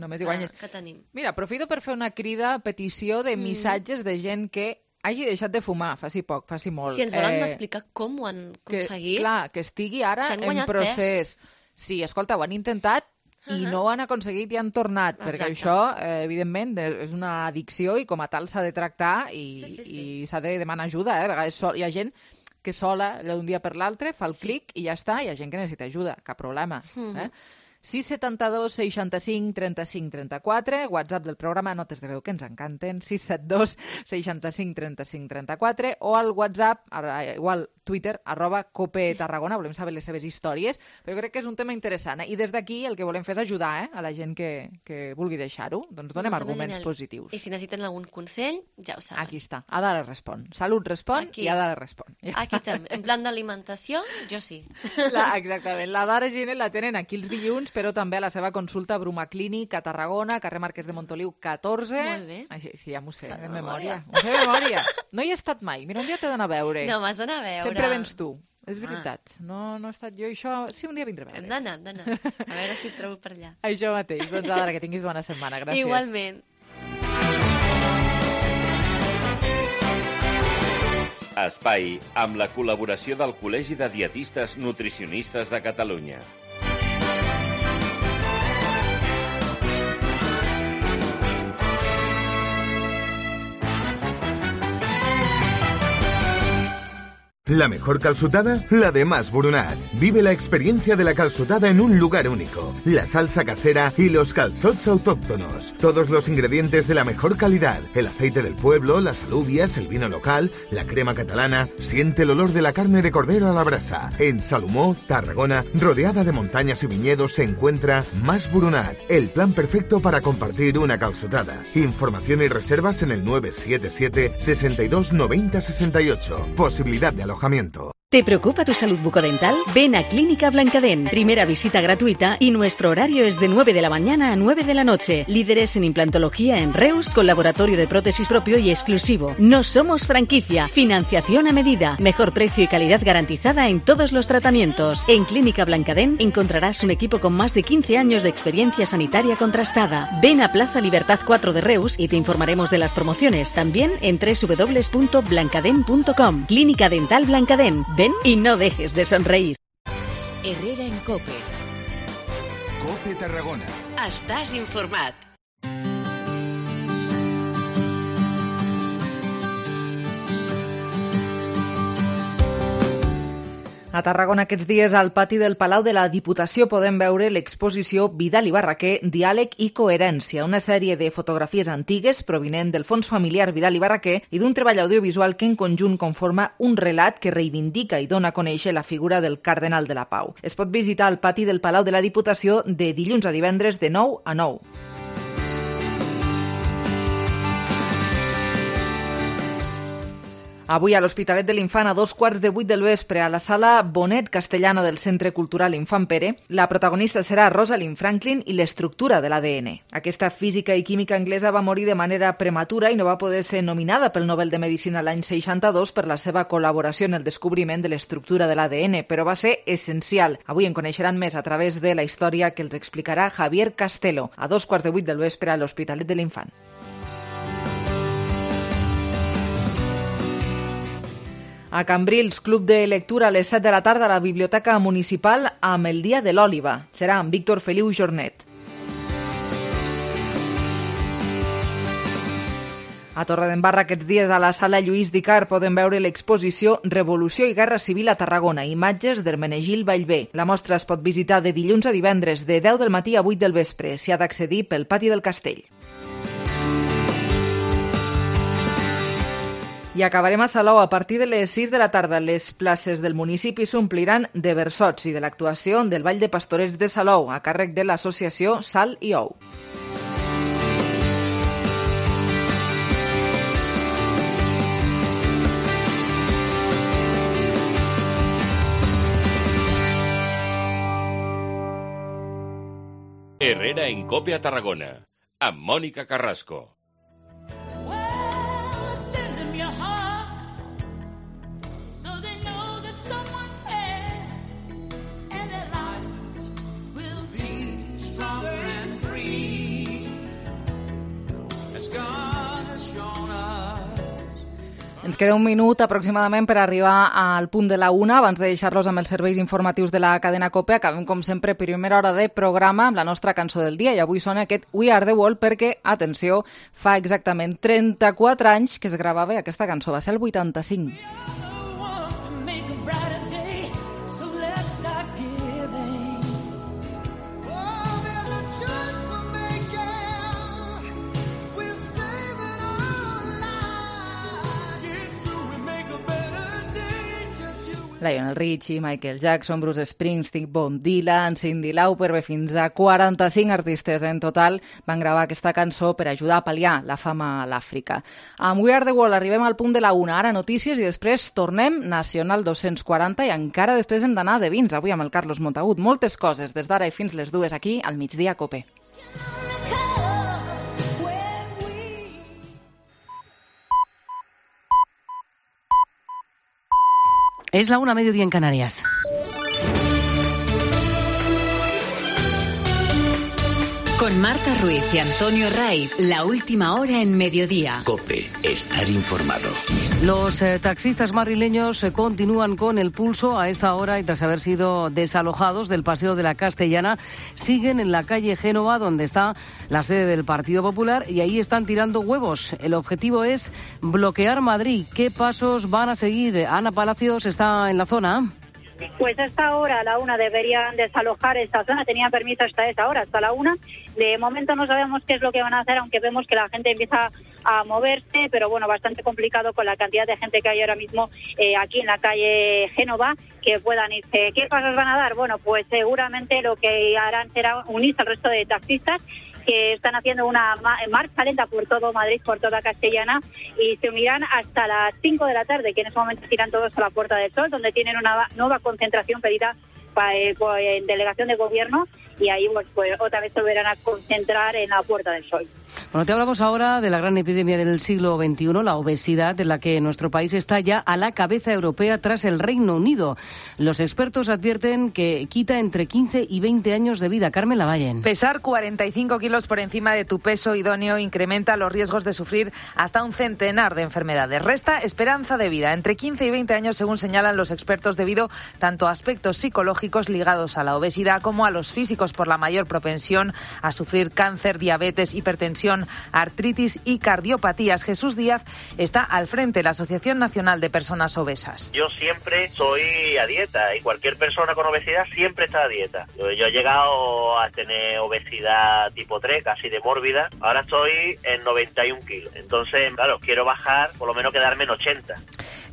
només hi guanyes. Que tenim. Mira, aprofito per fer una crida, petició de missatges de gent que hagi deixat de fumar, faci poc, faci molt. Si ens volen explicar com ho han aconseguit... Clar, que estigui ara en procés. Sí, escolta, ho han intentat i no ho han aconseguit i han tornat, perquè això, evidentment, és una addicció i com a tal s'ha de tractar i s'ha de demanar ajuda. A vegades hi ha gent que sola, d'un dia per l'altre, fa el clic i ja està, hi ha gent que necessita ajuda, cap problema. 672 65 35 34, WhatsApp del programa, notes de veu que ens encanten, 672 65 35 34, o al WhatsApp, igual Twitter, @copetarragona, volem saber les seves històries, però crec que és un tema interessant, i des d'aquí el que volem fer és ajudar a la gent que vulgui deixar-ho, doncs donem arguments positius. I si necessiten algun consell, ja ho saben. Aquí està, Adara respon. Salut respon i Adara respon. Aquí també, en plan d'alimentació, jo sí. Exactament, l'Adara Giner la tenen aquí els dilluns, però també a la seva consulta a Bruma Clínic, a Tarragona, carrer Marquès de Montoliu 14. Molt bé. Sí, ja m'ho sé, de memòria. M'ho sé de memòria. No hi he estat mai. Mira, un dia t'he d'anar a veure. No, m'has d'anar a veure. Sempre vens tu. És veritat. No he estat jo. Això sí, un dia vindré a veure. Hem d'anar. A veure si et trobo per allà. Això mateix. Doncs ara, que tinguis bona setmana. Gràcies. Igualment. Espai amb la col·laboració del Col·legi de Dietistes Nutricionistes de Catalunya. La mejor calçotada, la de Mas Boronat. Vive la experiencia de la calçotada en un lugar único. La salsa casera y los calzots autóctonos. Todos los ingredientes de la mejor calidad. El aceite del pueblo, las alubias, el vino local, la crema catalana. Siente el olor de la carne de cordero a la brasa. En Salomó, Tarragona, rodeada de montañas y viñedos, se encuentra Mas Boronat. El plan perfecto para compartir una calçotada. Información y reservas en el 977 62 90 68. Posibilidad de alojamiento. ¿Te preocupa tu salud bucodental? Ven a Clínica Blancadén. Primera visita gratuita y nuestro horario es de 9 de la mañana a 9 de la noche. Líderes en implantología en Reus, con laboratorio de prótesis propio y exclusivo. No somos franquicia. Financiación a medida. Mejor precio y calidad garantizada en todos los tratamientos. En Clínica Blancadén encontrarás un equipo con más de 15 años de experiencia sanitaria contrastada. Ven a Plaza Libertad 4 de Reus y te informaremos de las promociones. También en www.blancadén.com. Clínica Dental Blancadén. Ven y no dejes de sonreír. Herrera en COPE. COPE Tarragona. Estàs informat. A Tarragona aquests dies al pati del Palau de la Diputació podem veure l'exposició Vidal i Barraquer, Diàleg i Coherència, una sèrie de fotografies antigues provinent del fons familiar Vidal i Barraquer i d'un treball audiovisual que en conjunt conforma un relat que reivindica i dona a conèixer la figura del Cardenal de la Pau. Es pot visitar al pati del Palau de la Diputació de dilluns a divendres de 9 a 9. Avui a l'Hospitalet de l'Infant, a 7:15 del vespre, a la sala Bonet Castellana del Centre Cultural Infant Pere, la protagonista serà Rosalind Franklin i l'estructura de l'ADN. Aquesta física i química anglesa va morir de manera prematura i no va poder ser nominada pel Nobel de Medicina l'any 62 per la seva col·laboració en el descobriment de l'estructura de l'ADN, però va ser essencial. Avui en coneixeran més a través de la història que els explicarà Javier Castelo, a 7:15 del vespre a l'Hospitalet de l'Infant. A Cambrils, club de lectura a les 7 de la tarda a la Biblioteca Municipal amb el Dia de l'Òliba. Serà amb Víctor Feliu Jornet. A Torredembarra aquests dies a la sala Lluís Dicar poden veure l'exposició Revolució i Guerra Civil a Tarragona, imatges d'Hermenegil Vallvé. La mostra es pot visitar de dilluns a divendres, de 10 del matí a 8 del vespre. S'hi ha d'accedir pel pati del castell. I acabarem a Salou. A partir de les 6 de la tarda, les places del municipi s'ompliran de versots i de l'actuació del Ball de Pastorets de Salou, a càrrec de l'associació Sal i Ou. Herrera en COPE a Tarragona, amb Mònica Carrasco. Ens queda un minut aproximadament per arribar al punt de la 1. Abans de deixar-los amb els serveis informatius de la cadena COPE, acabem, com sempre, primera hora de programa amb la nostra cançó del dia. I avui sona aquest We Are The World perquè, atenció, fa exactament 34 anys que es gravava aquesta cançó. Va ser el 85. Lionel Richie, Michael Jackson, Bruce Springsteen, Bob Dylan, Cyndi Lauper, fins a 45 artistes en total van gravar aquesta cançó per ajudar a pal·liar la fama a l'Àfrica. Amb We Are The World arribem al punt de la 1, ara notícies i després tornem Nacional 240 i encara després hem d'anar de vins, avui amb el Carlos Montagut. Moltes coses des d'ara i fins les 2 aquí al Migdia COPE. Es la 1:00 en Canarias. Con Marta Ruiz y Antonio Ray, la última hora en Mediodía. COPE, estar informado. Los taxistas madrileños continúan con el pulso a esta hora y tras haber sido desalojados del Paseo de la Castellana, siguen en la calle Génova, donde está la sede del Partido Popular, y ahí están tirando huevos. El objetivo es bloquear Madrid. ¿Qué pasos van a seguir? Ana Palacios está en la zona. Pues a esta hora, a la 1, deberían desalojar esta zona. Tenían permiso hasta esa hora, hasta la 1. De momento no sabemos qué es lo que van a hacer, aunque vemos que la gente empieza a moverse, pero bueno, bastante complicado con la cantidad de gente que hay ahora mismo aquí en la calle Génova, que puedan irse. ¿Qué pasos van a dar? Bueno, pues seguramente lo que harán será unirse al resto de taxistas que están haciendo una marcha lenta por todo Madrid, por toda Castellana, y se unirán hasta las 5 de la tarde, que en ese momento irán todos a la Puerta del Sol, donde tienen una nueva concentración pedida en delegación de gobierno, y ahí pues otra vez se volverán a concentrar en la Puerta del Sol. Bueno, te hablamos ahora de la gran epidemia del siglo XXI, la obesidad, de la que nuestro país está ya a la cabeza europea tras el Reino Unido. Los expertos advierten que quita entre 15 y 20 años de vida. Carmen Lavallen. Pesar 45 kilos por encima de tu peso idóneo incrementa los riesgos de sufrir hasta un centenar de enfermedades. Resta esperanza de vida entre 15 y 20 años, según señalan los expertos, debido tanto a aspectos psicológicos ligados a la obesidad como a los físicos por la mayor propensión a sufrir cáncer, diabetes, hipertensión, artritis y cardiopatías. Jesús Díaz está al frente de la Asociación Nacional de Personas Obesas. Yo siempre estoy a dieta y cualquier persona con obesidad siempre está a dieta. Yo he llegado a tener obesidad tipo 3, casi de mórbida. Ahora estoy en 91 kilos. Entonces, claro, quiero bajar, por lo menos quedarme en 80.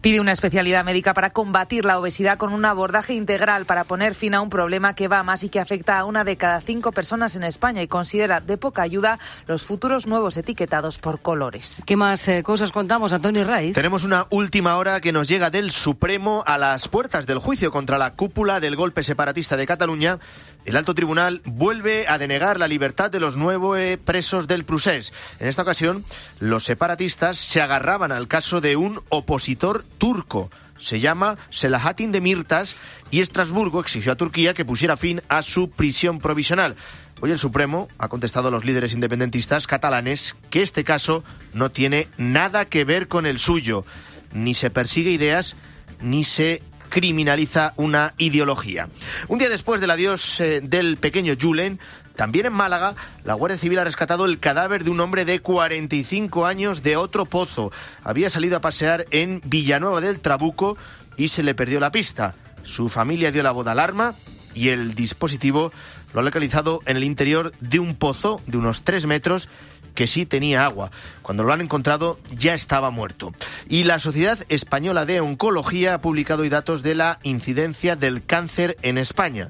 Pide una especialidad médica para combatir la obesidad con un abordaje integral para poner fin a un problema que va a más y que afecta a 1 de cada 5 personas en España, y considera de poca ayuda los futuros nuevos etiquetados por colores. ¿Qué más cosas contamos, Antonio Raiz? Tenemos una última hora que nos llega del Supremo a las puertas del juicio contra la cúpula del golpe separatista de Cataluña. El alto tribunal vuelve a denegar la libertad de los 9 presos del Procés. En esta ocasión, los separatistas se agarraban al caso de un opositor turco. Se llama Selahattin Demirtas, y Estrasburgo exigió a Turquía que pusiera fin a su prisión provisional. Hoy el Supremo ha contestado a los líderes independentistas catalanes que este caso no tiene nada que ver con el suyo. Ni se persigue ideas, ni se criminaliza una ideología. Un día después del adiós del pequeño Julen, también en Málaga, la Guardia Civil ha rescatado el cadáver de un hombre de 45 años de Otro Pozo. Había salido a pasear en Villanueva del Trabuco y se le perdió la pista. Su familia dio la voz de alarma y el dispositivo lo ha localizado en el interior de un pozo de unos 3 metros que sí tenía agua. Cuando lo han encontrado ya estaba muerto. Y la Sociedad Española de Oncología ha publicado hoy datos de la incidencia del cáncer en España.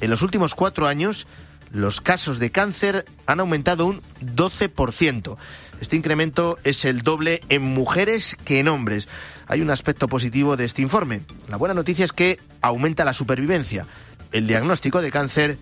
En los últimos 4 años, los casos de cáncer han aumentado un 12%. Este incremento es el doble en mujeres que en hombres. Hay un aspecto positivo de este informe. La buena noticia es que aumenta la supervivencia. El diagnóstico de cáncer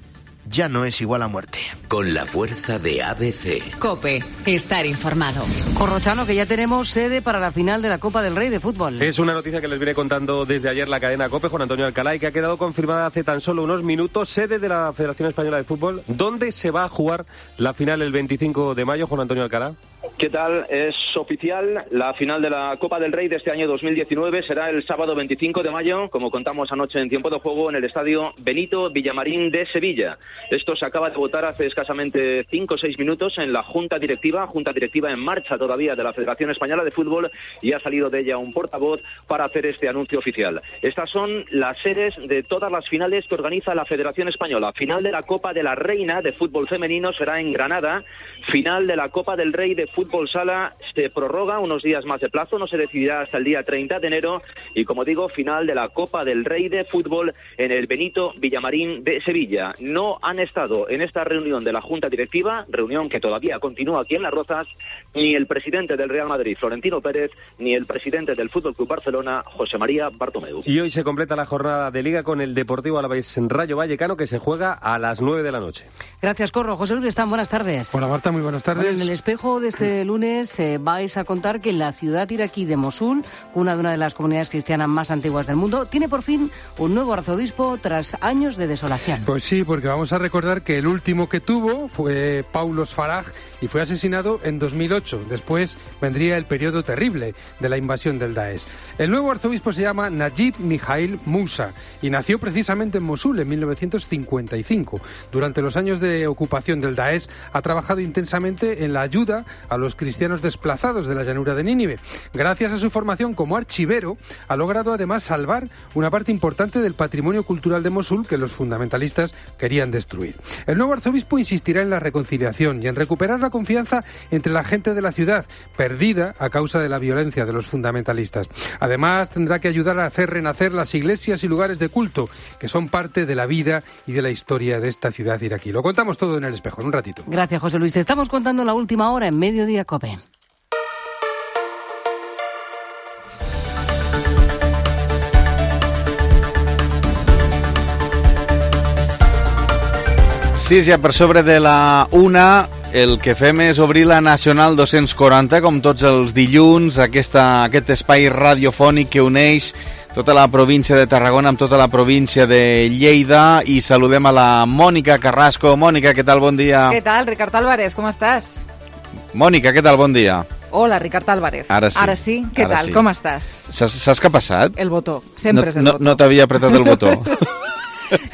ya no es igual a muerte. Con la fuerza de ABC. COPE, estar informado. Corrochano, que ya tenemos sede para la final de la Copa del Rey de fútbol. Es una noticia que les viene contando desde ayer la cadena COPE, Juan Antonio Alcalá, y que ha quedado confirmada hace tan solo unos minutos. Sede de la Federación Española de Fútbol. ¿Dónde se va a jugar la final el 25 de mayo, Juan Antonio Alcalá? ¿Qué tal? Es oficial, la final de la Copa del Rey de este año 2019 será el sábado 25 de mayo, como contamos anoche en tiempo de juego, en el estadio Benito Villamarín de Sevilla. Esto se acaba de votar hace escasamente 5 o 6 minutos en la Junta Directiva en marcha todavía de la Federación Española de Fútbol, y ha salido de ella un portavoz para hacer este anuncio oficial. Estas son las sedes de todas las finales que organiza la Federación Española. Final de la Copa de la Reina de fútbol femenino será en Granada. Final de la Copa del Rey de fútbol sala se prorroga unos días más de plazo, no se decidirá hasta el día 30 de enero. Y como digo, final de la Copa del Rey de fútbol en el Benito Villamarín de Sevilla. No han estado en esta reunión de la Junta Directiva, reunión que todavía continúa aquí en Las Rozas, ni el presidente del Real Madrid, Florentino Pérez, ni el presidente del Fútbol Club Barcelona, José María Bartomeu. Y hoy se completa la jornada de Liga con el Deportivo Alavés Rayo Vallecano, que se juega a las 9 de la noche. Gracias, Corro. José Luis Están, buenas tardes. Hola, Marta, muy buenas tardes. Bueno, en el espejo de este Este lunes vais a contar que la ciudad iraquí de Mosul, una de las comunidades cristianas más antiguas del mundo, tiene por fin un nuevo arzobispo tras años de desolación. Pues sí, porque vamos a recordar que el último que tuvo fue Paulos Faraj y fue asesinado en 2008. Después vendría el periodo terrible de la invasión del Daesh. El nuevo arzobispo se llama Najib Mikhail Mousa y nació precisamente en Mosul en 1955. Durante los años de ocupación del Daesh ha trabajado intensamente en la ayuda a los cristianos desplazados de la llanura de Nínive. Gracias a su formación como archivero, ha logrado además salvar una parte importante del patrimonio cultural de Mosul que los fundamentalistas querían destruir. El nuevo arzobispo insistirá en la reconciliación y en recuperar la confianza entre la gente de la ciudad, perdida a causa de la violencia de los fundamentalistas. Además, tendrá que ayudar a hacer renacer las iglesias y lugares de culto, que son parte de la vida y de la historia de esta ciudad iraquí. Lo contamos todo en El Espejo, en un ratito. Gracias, José Luis. Te estamos contando la última hora en Mediodía COPE. Sí, ja per sobre de la 1, el que fem és obrir la Nacional 240, com tots els dilluns, aquest espai radiofònic que uneix tota la província de Tarragona amb tota la província de Lleida, i saludem a la Mònica Carrasco. Mònica, què tal? Bon dia. Què tal, Ricard Álvarez? Com estàs? Mònica, què tal? Bon dia. Hola, Ricard Álvarez. Ara sí. Ara sí? Què tal? Sí. Com estàs? Saps què ha passat? El botó. Sempre és el botó. No t'havia apretat el botó.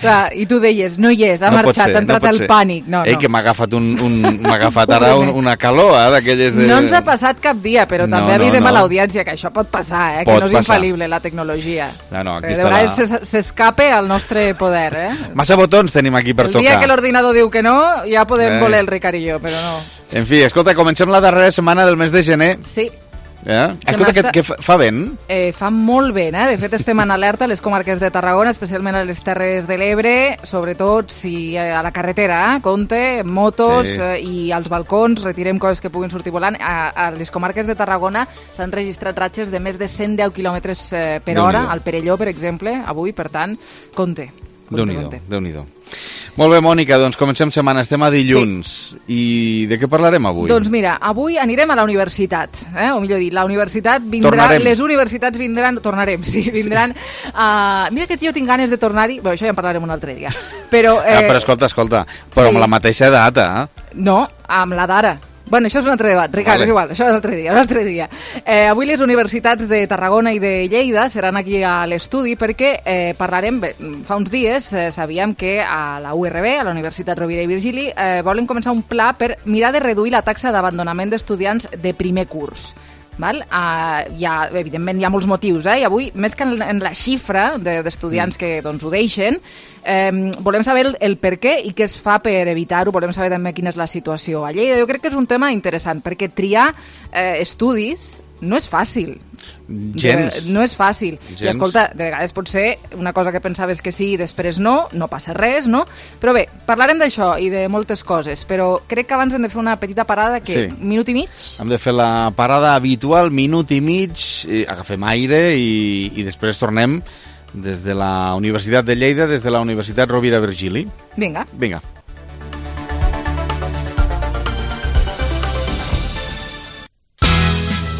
Clar, i tu deies, no hi és, ha marxat, ha entrat el pànic. No, Ei, que m'ha agafat ara una calor, d'aquelles de... No ens ha passat cap dia, però també avisem a l'audiència que això pot passar, que no és infal·lible la tecnologia. No, aquí de vegades s'escape al nostre poder. Massa botons tenim aquí per tocar. El dia que l'ordinador diu que no, ja podem voler el Ricard i jo, però no. En fi, escolta, comencem la darrera setmana del mes de gener. Sí. Escolta, que fa vent? Fa molt vent, De fet, estem en alerta a les comarques de Tarragona, especialment a les Terres de l'Ebre, sobretot si a la carretera, compte, motos i als balcons, retirem coses que puguin sortir volant. A les comarques de Tarragona s'han registrat ratxes de més de 110 km per hora, al Perelló, per exemple, avui, per tant, compte. Déu-n'hi-do. Molt bé, Mònica, doncs comencem setmana, estem a dilluns. Sí. I de què parlarem avui? Doncs mira, avui anirem a la universitat, o millor dit, la universitat vindrà... Tornarem. Les universitats vindran... Tornarem, sí, vindran... Mira que jo tinc ganes de tornar-hi... Bé, això ja en parlarem un altre dia. Però escolta, però amb la mateixa edat, No, amb la d'ara. Bueno, això és un altre debat, Ricard, és igual, això és un altre dia. Avui les universitats de Tarragona i de Lleida seran aquí a l'estudi perquè parlarem, fa uns dies sabíem que a la URB, a la Universitat Rovira i Virgili, volen començar un pla per mirar de reduir la taxa d'abandonament d'estudiants de primer curs. Evidentment hi ha molts motius, i avui, més que en la xifra d'estudiants que ho deixen, volem saber el per què i què es fa per evitar-ho, volem saber també quina és la situació a Lleida. Jo crec que és un tema interessant, perquè triar estudis no és fàcil. Gens. No és fàcil. Gens. I escolta, de vegades pot ser una cosa que pensaves que sí i després no passa res, no? Però bé, parlarem d'això i de moltes coses, però crec que abans hem de fer una petita parada, minut i mig? Hem de fer la parada habitual, minut i mig, agafem aire i després tornem des de la Universitat de Lleida, des de la Universitat Rovira i Virgili. Vinga.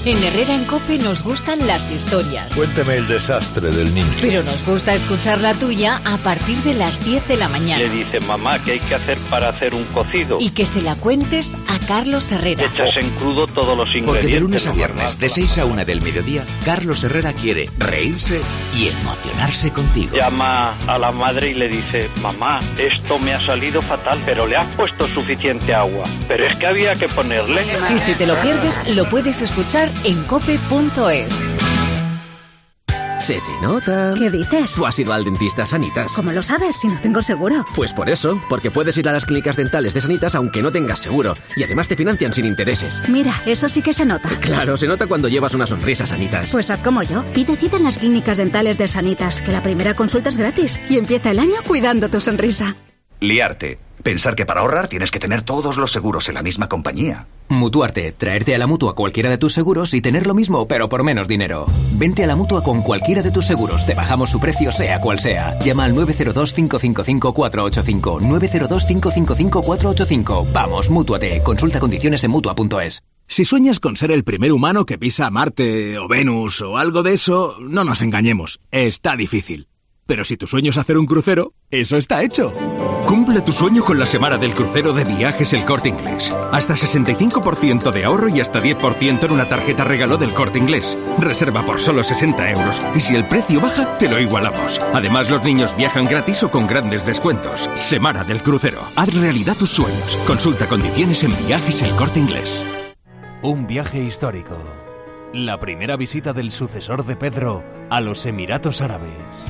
En Herrera en COPE nos gustan las historias. Cuéntame el desastre del niño. Pero nos gusta escuchar la tuya a partir de las 10 de la mañana. Le dice, mamá, ¿qué hay que hacer para hacer un cocido? Y que se la cuentes a Carlos Herrera. Echas en crudo todos los ingredientes. Porque de lunes a viernes, de 6 a 1 del mediodía, Carlos Herrera quiere reírse y emocionarse contigo. Llama a la madre y le dice, mamá, esto me ha salido fatal, pero le has puesto suficiente agua. Pero es que había que ponerle. Y si te lo pierdes, lo puedes escuchar en cope.es. Se te nota. ¿Qué dices? ¿Tú has ido al dentista Sanitas? ¿Cómo lo sabes si no tengo seguro? Pues por eso, porque puedes ir a las clínicas dentales de Sanitas aunque no tengas seguro. Y además te financian sin intereses. Mira, eso sí que se nota. Claro, se nota cuando llevas una sonrisa, Sanitas. Pues haz como yo. Pide cita en las clínicas dentales de Sanitas, que la primera consulta es gratis. Y empieza el año cuidando tu sonrisa. Liarte. Pensar que para ahorrar tienes que tener todos los seguros en la misma compañía. Mutuarte. Traerte a la Mutua cualquiera de tus seguros y tener lo mismo, pero por menos dinero. Vente a la Mutua con cualquiera de tus seguros. Te bajamos su precio, sea cual sea. Llama al 902-555-485. 902-555-485. Vamos, Mútuate. Consulta condiciones en Mutua.es. Si sueñas con ser el primer humano que pisa Marte o Venus o algo de eso, no nos engañemos, está difícil. Pero si tu sueño es hacer un crucero, eso está hecho. Cumple tu sueño con la semana del crucero de Viajes El Corte Inglés. Hasta 65% de ahorro y hasta 10% en una tarjeta regalo del Corte Inglés. Reserva por solo 60 euros y si el precio baja, te lo igualamos. Además, los niños viajan gratis o con grandes descuentos. Semana del crucero. Haz realidad tus sueños. Consulta condiciones en Viajes El Corte Inglés. Un viaje histórico. La primera visita del sucesor de Pedro a los Emiratos Árabes.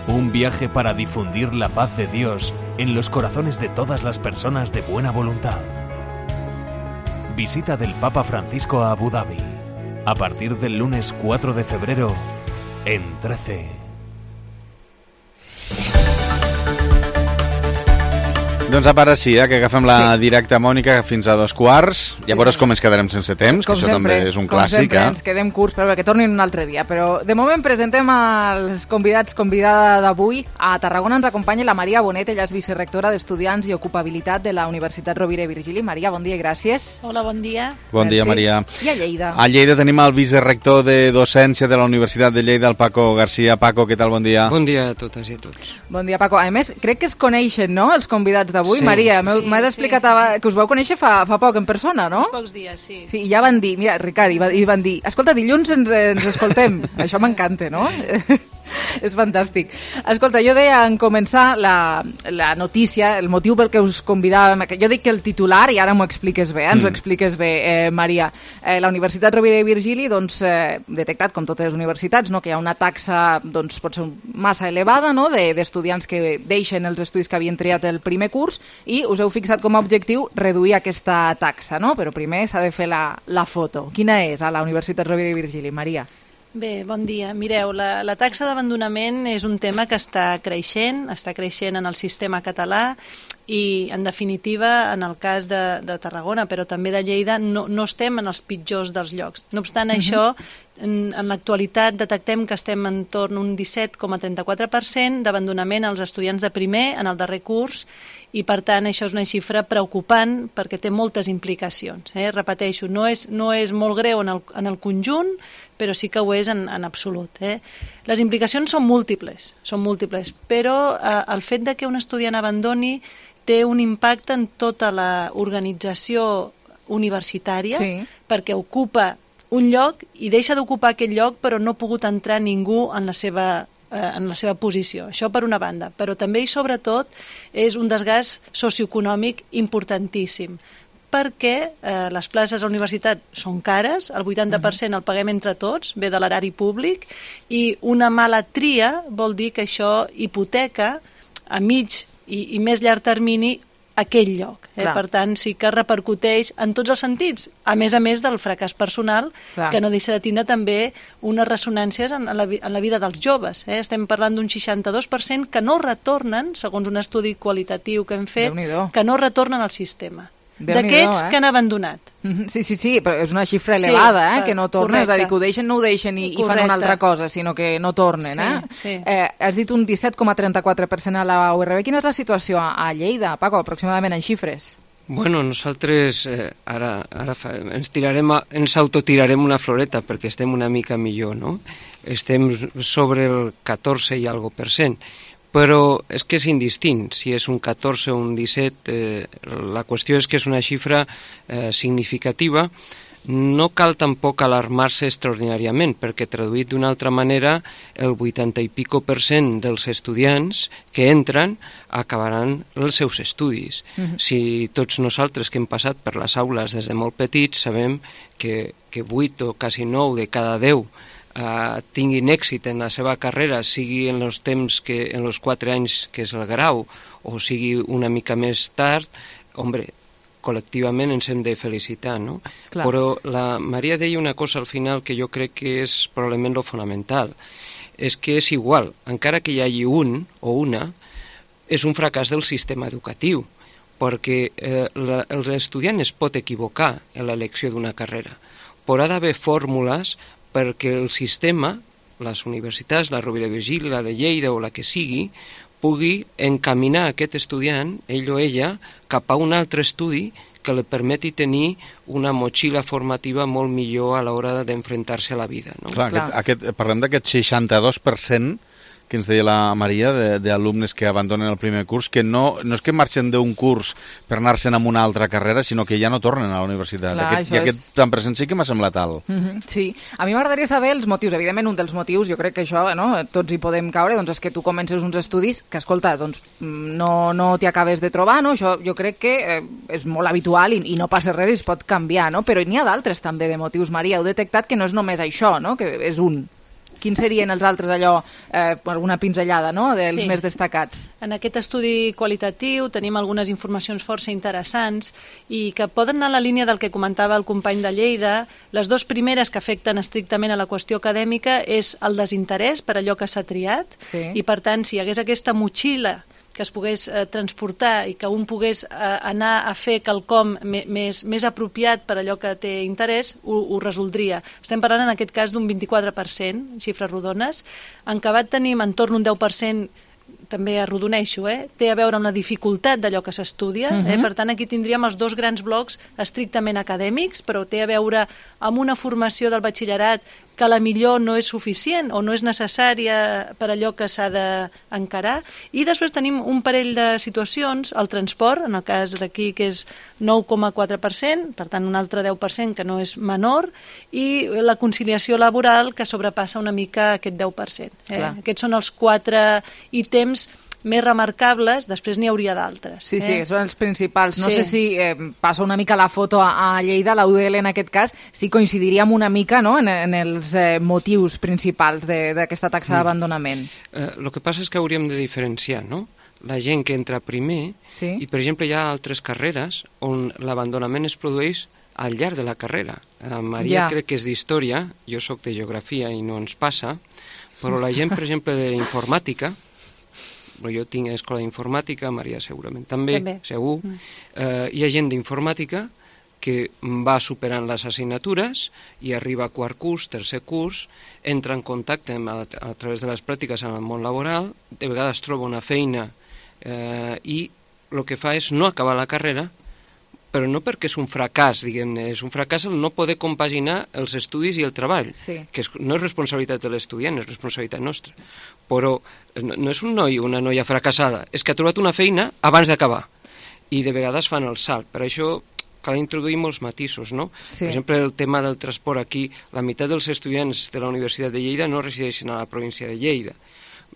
Un viaje para difundir la paz de Dios en los corazones de todas las personas de buena voluntad. Visita del Papa Francisco a Abu Dhabi. A partir del lunes 4 de febrero en 13. Doncs a part sí, que agafem la directa Mònica fins a 2:15. Llavors com ens quedarem sense temps, que això també és un clàssic. Com sempre, ens quedem curts, però que tornin un altre dia. Però de moment presentem els convidada d'avui. A Tarragona ens acompanya la Maria Bonet, ella és vicerectora d'Estudiants i Ocupabilitat de la Universitat Rovira i Virgili. Maria, bon dia i gràcies. Hola, bon dia. Bon dia, Maria. I a Lleida? A Lleida tenim el vicerector de docència de la Universitat de Lleida, el Paco García. Paco, què tal? Bon dia. Bon dia a totes i a tots. Bon dia, Paco. A més, crec que es coneixen, no?, els convidats d'avui. Sí, Maria, m'has explicat que us vau conèixer fa poc en persona, no? Uns pocs dies, sí. Sí, i ja van dir, mira, Ricard, i van dir, escolta, dilluns ens escoltem. Això m'encanta, no? És fantàstic. Escolta, jo deia en començar la notícia, el motiu pel que us convidàvem, jo dic que el titular, i ara m'ho expliques bé, ens ho expliques bé, Maria. La Universitat Rovira i Virgili, doncs, detectat, com totes les universitats, no, que hi ha una taxa, doncs, pot ser massa elevada, no?, d'estudiants que deixen els estudis que havien triat el primer curs, i us heu fixat com a objectiu reduir aquesta taxa, no? Però primer s'ha de fer la foto. Quina és a la Universitat Rovira i Virgili, Maria? Bé, bon dia. Mireu, la taxa d'abandonament és un tema que està creixent en el sistema català i, en definitiva, en el cas de Tarragona, però també de Lleida, no estem en els pitjors dels llocs. No obstant això, en l'actualitat detectem que estem entorn un 17,34% d'abandonament als estudiants de primer en el darrer curs i, per tant, això és una xifra preocupant perquè té moltes implicacions. Repeteixo, no és molt greu en el conjunt, però sí que ho és en absolut. Les implicacions són múltiples, però el fet de que un estudiant abandoni té un impacte en tota l'organització universitària, perquè ocupa un lloc i deixa d'ocupar aquest lloc però no ha pogut entrar ningú en la seva posició. Això per una banda, però també i sobretot és un desgast socioeconòmic importantíssim, perquè les places a la universitat són cares, el 80% el paguem entre tots, ve de l'erari públic, i una mala tria vol dir que això hipoteca a mig i més llarg termini aquell lloc. Per tant, sí que repercuteix en tots els sentits, a més del fracàs personal, que no deixa de tindre també unes ressonàncies en la vida dels joves. Estem parlant d'un 62% que no retornen, segons un estudi qualitatiu que hem fet, que no retornen al sistema. D'aquests que han abandonat. Sí, però és una xifra elevada, que no tornen, és a dir, que ho deixen, no ho deixen i fan una altra cosa, sinó que no tornen. Has dit un 17,34% a la URB. Quina és la situació a Lleida, Paco, aproximadament en xifres? Bueno, nosaltres ara ens autotirarem una floreta perquè estem una mica millor, no? Estem sobre el 14 i algo %. Però és que és indistint, si és un 14 o un 17, la qüestió és que és una xifra significativa. No cal tampoc alarmar-se extraordinàriament, perquè traduït d'una altra manera, el 80 i pico % dels estudiants que entren acabaran els seus estudis. Si tots nosaltres que hem passat per les aules des de molt petits sabem que 8 o quasi 9 de cada 10 tinguin èxit en la seva carrera, sigui en els temps en els 4 anys que és el grau o sigui una mica més tard, col·lectivament ens hem de felicitar, no? Però la Maria deia una cosa al final que jo crec que és probablement lo fonamental, és que és igual, encara que hi hagi un o una, és un fracàs del sistema educatiu, perquè l'estudiant es pot equivocar en l'elecció d'una carrera, però ha d'haver fórmules perquè el sistema, les universitats, la Rovira i Virgili, la de Lleida o la que sigui, pugui encaminar aquest estudiant, ell o ella, cap a un altre estudi que li permeti tenir una motxilla formativa molt millor a l'hora d'enfrontar-se a la vida. No? Parlem d'aquest 62% que ens deia la Maria, d'alumnes que abandonen el primer curs, que no és que marxen d'un curs per anar-se'n a una altra carrera, sinó que ja no tornen a la universitat. Aquest tant present sí que m'ha semblat alt. Sí, a mi m'agradaria saber els motius. Evidentment, un dels motius, jo crec que això, tots hi podem caure, doncs és que tu comences uns estudis que, escolta, doncs no t'hi acabes de trobar, no? Això jo crec que és molt habitual i no passa res i es pot canviar, no? Però n'hi ha d'altres també de motius, Maria. Heu detectat que no és només això, no? Que és un. Quins serien els altres, allò, alguna pinzellada, no?, dels més destacats? En aquest estudi qualitatiu tenim algunes informacions força interessants i que poden anar a la línia del que comentava el company de Lleida. Les dues primeres que afecten estrictament a la qüestió acadèmica és el desinterès per allò que s'ha triat i, per tant, si hi hagués aquesta motxilla que es pogués transportar i que un pogués anar a fer quelcom més apropiat per allò que té interès, ho resoldria. Estem parlant en aquest cas d'un 24%, xifres rodones. En acabat tenim entorn un 10%, també arrodoneixo, té a veure amb la dificultat d'allò que s'estudia. Per tant, aquí tindríem els dos grans blocs estrictament acadèmics, però té a veure amb una formació del batxillerat que a la millor no és suficient o no és necessària per allò que s'ha d'encarar. I després tenim un parell de situacions, el transport, en el cas d'aquí, que és 9,4%, per tant un altre 10% que no és menor, i la conciliació laboral, que sobrepassa una mica aquest 10%. Aquests són els 4 ítems més remarcables, després n'hi hauria d'altres. Sí, són els principals. No sé si passa una mica la foto a Lleida, la UDL en aquest cas, si coincidiríem una mica en els motius principals d'aquesta taxa d'abandonament. El que passa és que hauríem de diferenciar, no? La gent que entra primer, i per exemple hi ha altres carreres on l'abandonament es produeix al llarg de la carrera. Maria crec que és d'història, jo sóc de geografia i no ens passa, però la gent, per exemple, d'informàtica, jo tinc escola d'informàtica, Maria segurament també. Segur. Hi ha gent d'informàtica que va superant les assignatures i arriba a quart curs, tercer curs, entra en contacte a través de les pràctiques en el món laboral, de vegades troba una feina i el que fa és no acabar la carrera, però no perquè és un fracàs, diguem-ne, és un fracàs el no poder compaginar els estudis i el treball, que no és responsabilitat de l'estudiant, és responsabilitat nostra. Però no és un noi o una noia fracassada, és que ha trobat una feina abans d'acabar, i de vegades fan el salt. Per això cal introduir molts matisos, no? Per exemple, el tema del transport aquí, la meitat dels estudiants de la Universitat de Lleida no resideixen a la província de Lleida.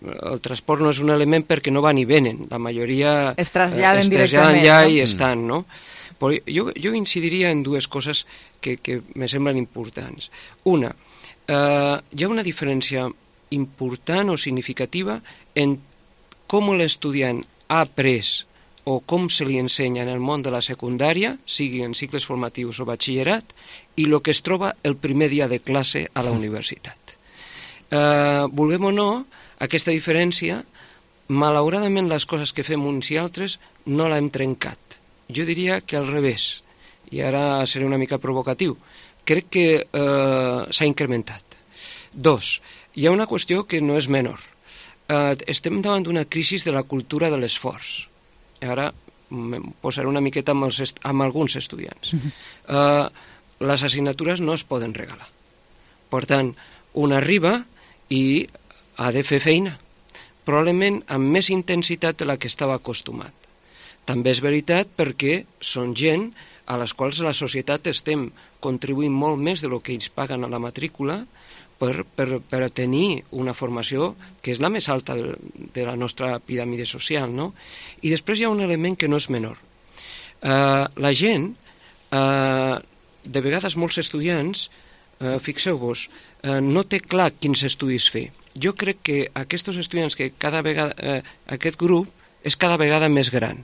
El transport no és un element perquè no van i venen, la majoria es traslladen directament, ja i estan, no? Però jo incidiria en dues coses que me semblen importants. Una, hi ha una diferència important o significativa en com l'estudiant ha après o com se li ensenya en el món de la secundària, sigui en cicles formatius o batxillerat, i el que es troba el primer dia de classe a la universitat. Vulguem o no, aquesta diferència, malauradament les coses que fem uns i altres no l'hem trencat. Jo diria que al revés, i ara seré una mica provocatiu, crec que s'ha incrementat. 2, hi ha una qüestió que no és menor. Estem davant d'una crisi de la cultura de l'esforç. Ara em posaré una miqueta amb alguns estudiants. Les assignatures no es poden regalar. Per tant, un arriba i ha de fer feina, probablement amb més intensitat de la que estava acostumat. També és veritat perquè són gent a les quals la societat estem contribuint molt més del que ells paguen a la matrícula per tenir una formació que és la més alta de la nostra piràmide social, no? I després hi ha un element que no és menor. La gent, de vegades molts estudiants, fixeu-vos, no té clar quins estudis fer. Jo crec que aquests estudiants, que cada vegada, aquest grup és cada vegada més gran.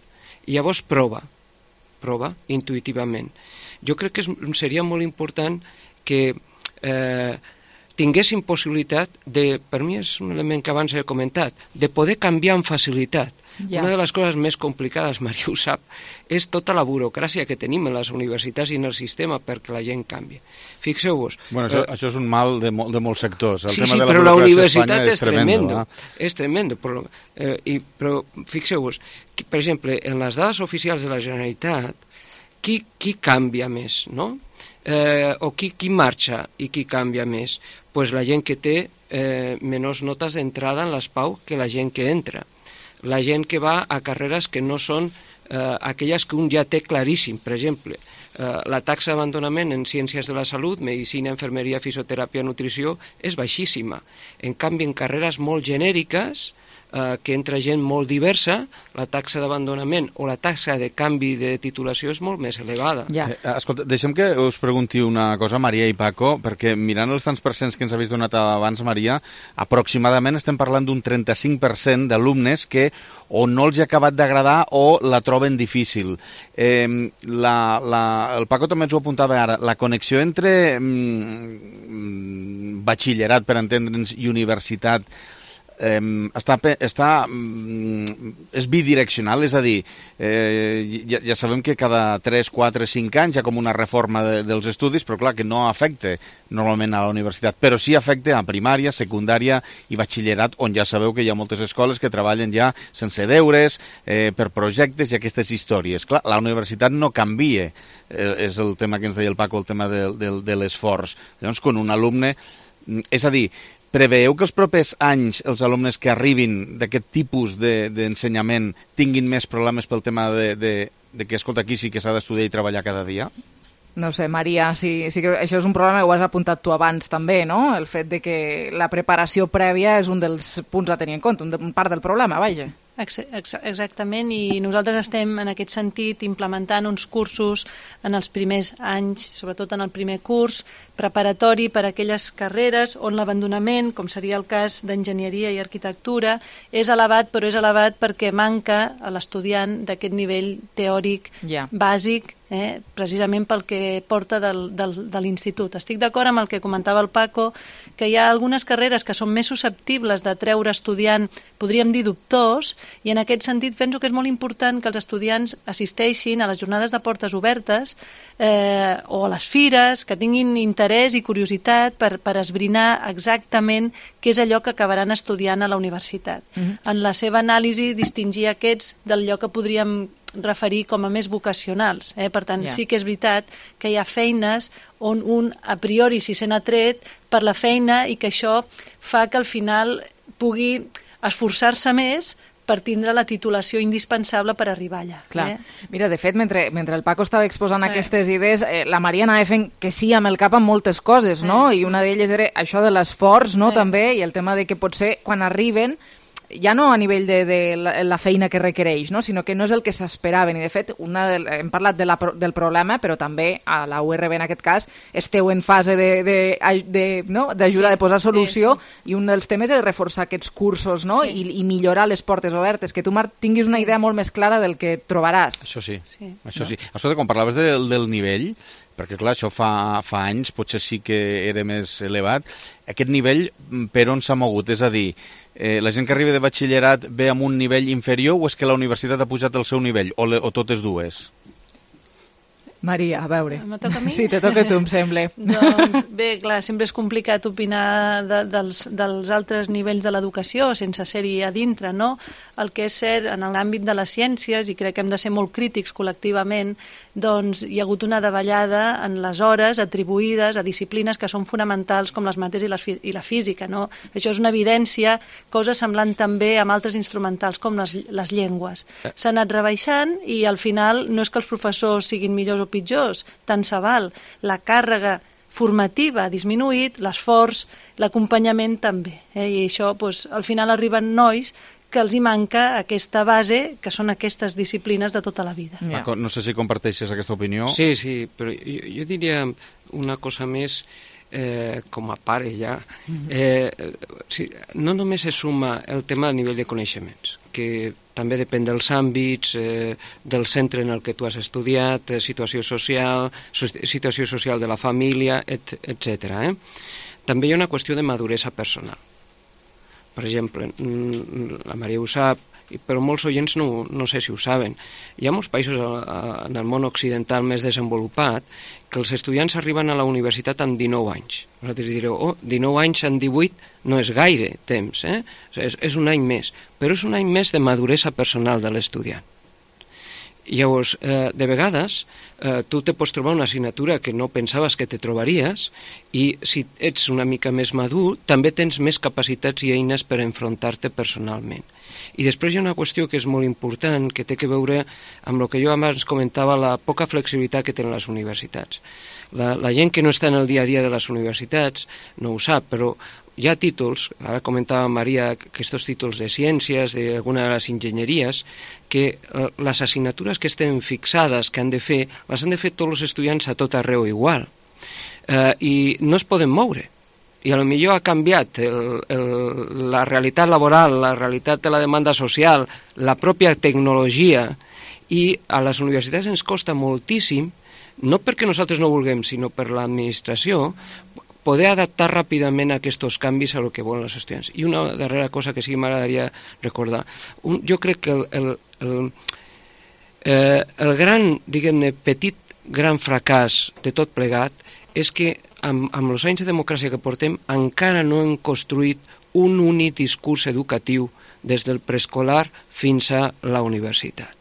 I llavors prova intuïtivament. Jo crec que seria molt important que tinguessin possibilitat de, per mi és un element que abans he comentat, de poder canviar amb facilitat. Una de les coses més complicades, Maria ho sap, és tota la burocràcia que tenim en les universitats i en el sistema perquè la gent canvi. Fixeu-vos. Bueno, això és un mal de molts sectors. Sí, però la universitat és tremendo. És tremendo. Però fixeu-vos, per exemple, en les dades oficials de la Generalitat, qui canvia més, no? O qui marxa i qui canvia més? Pues la gent que té menys notes d'entrada en l'ESPAU que la gent que entra. La gent que va a carreres que no són aquelles que un ja té claríssim. Per exemple, la taxa d'abandonament en ciències de la salut, medicina, infermeria, fisioteràpia, nutrició, és baixíssima. En canvi, en carreres molt genèriques, que entra gent molt diversa, la taxa d'abandonament o la taxa de canvi de titulació és molt més elevada. Escolta, deixem que us pregunti una cosa, Maria i Paco, perquè mirant els tants percents que ens habéis donat abans, Maria, aproximadament estem parlant d'un 35% d'alumnes que o no els ha acabat d'agradar o la troben difícil. El Paco també ens ho apuntava ara, la connexió entre batxillerat, per entendre'ns, i universitat, és bidireccional, és a dir, ja sabem que cada 3, 4, 5 anys hi ha com una reforma dels estudis, però clar que no afecta normalment a la universitat, però sí afecta a primària, secundària i batxillerat, on ja sabeu que hi ha moltes escoles que treballen ja sense deures, per projectes i aquestes històries. Clar, la universitat no canvia, és el tema que ens deia el Paco, el tema de l'esforç. Llavors, quan un alumne, és a dir, preveieu que els propers anys els alumnes que arribin d'aquest tipus d'ensenyament tinguin més problemes pel tema de que, escolta, aquí sí que s'ha d'estudiar i treballar cada dia? No sé, Maria, sí que això és un problema, ho has apuntat tu abans també, no? El fet de que la preparació prèvia és un dels punts a tenir en compte, un part del problema, vaja. Exactament, i nosaltres estem en aquest sentit implementant uns cursos en els primers anys, sobretot en el primer curs, preparatori per a aquelles carreres on l'abandonament, com seria el cas d'enginyeria i arquitectura, és elevat, però és elevat perquè manca a l'estudiant d'aquest nivell teòric bàsic, precisament pel que porta de l'institut. Estic d'acord amb el que comentava el Paco, que hi ha algunes carreres que són més susceptibles de treure estudiant, podríem dir dubtors, i en aquest sentit penso que és molt important que els estudiants assisteixin a les jornades de portes obertes o a les fires, que tinguin interès i curiositat per esbrinar exactament què és allò que acabaran estudiant a la universitat. En la seva anàlisi, distingir aquests d'allò que podríem referir com a més vocacionals. Per tant, sí que és veritat que hi ha feines on un a priori s'hi sent atret per la feina i que això fa que al final pugui esforçar-se més per tindre la titulació indispensable per arribar allà. Clar. Mira, de fet, mentre el Paco estava exposant aquestes idees, la Maria anava fent que sí amb el cap amb moltes coses, no? I una d'elles era això de l'esforç, no?, també, i el tema de que potser quan arriben ja no a nivell de la feina que requereix, no? Sinó que no és el que s'esperaven. I, de fet, hem parlat del problema, però també a la URB, en aquest cas, esteu en fase d'ajuda de posar solució, i un dels temes és reforçar aquests cursos, no? I millorar les portes obertes, que tu, Marc, tinguis una idea molt més clara del que trobaràs. Això sí. Escolta, quan parlaves del nivell, perquè clar, això fa anys potser sí que era més elevat, aquest nivell per on s'ha mogut? És a dir, la gent que arriba de batxillerat ve amb un nivell inferior o és que la universitat ha pujat el seu nivell, o totes dues? Maria, a veure. Me toca a mi? Sí, te toca a tu, em sembla. Doncs bé, clar, sempre és complicat opinar dels altres nivells de l'educació sense ser-hi a dintre, no? El que és cert en l'àmbit de les ciències, i crec que hem de ser molt crítics col·lectivament, doncs hi ha hagut una davallada en les hores atribuïdes a disciplines que són fonamentals com les mates i la física, no? Això és una evidència, cosa semblant també amb altres instrumentals com les llengües. S'ha anat rebaixant i al final no és que els professors siguin millors o pitjors, tant se val. La càrrega formativa ha disminuït, l'esforç, l'acompanyament també. I això, doncs, al final arriben nois que els hi manca aquesta base, que són aquestes disciplines de tota la vida. Paco, no sé si comparteixes aquesta opinió. Sí, però jo diria una cosa més com a pare ja. No només es suma el tema a nivell de coneixements, que també depèn dels àmbits, del centre en el que tu has estudiat, situació social de la família, etc. També hi ha una qüestió de maduresa personal. Per exemple, la Maria ho sap, però molts oients no sé si ho saben. Hi ha molts països en el món occidental més desenvolupat que els estudiants arriben a la universitat amb 19 anys. Vosaltres direu, 19 anys en 18 no és gaire temps, és un any més, però és un any més de maduresa personal de l'estudiant. Llavors, de vegades, tu te pots trobar una assignatura que no pensaves que te trobaries i si ets una mica més madur, també tens més capacitats i eines per enfrontar-te personalment. I després hi ha una qüestió que és molt important, que té que veure amb el que jo abans comentava, la poca flexibilitat que tenen les universitats. La gent que no està en el dia a dia de les universitats no ho sap, però hi ha títols, ara comentava Maria, aquests títols de ciències, d'alguna de les enginyeries, que les assignatures que estem fixades, que han de fer, les han de fer tots els estudiants a tot arreu igual. I no es poden moure. I potser ha canviat la realitat laboral, la realitat de la demanda social, la pròpia tecnologia, i a les universitats ens costa moltíssim, no perquè nosaltres no vulguem, sinó per l'administració, poder adaptar ràpidament aquests canvis a lo que volen els estudiants. I una darrera cosa que sí que m'agradaria recordar. Jo crec que el gran, diguem-ne, gran fracàs de tot plegat és que amb els anys de democràcia que portem encara no hem construït un únic discurs educatiu des del preescolar fins a la universitat.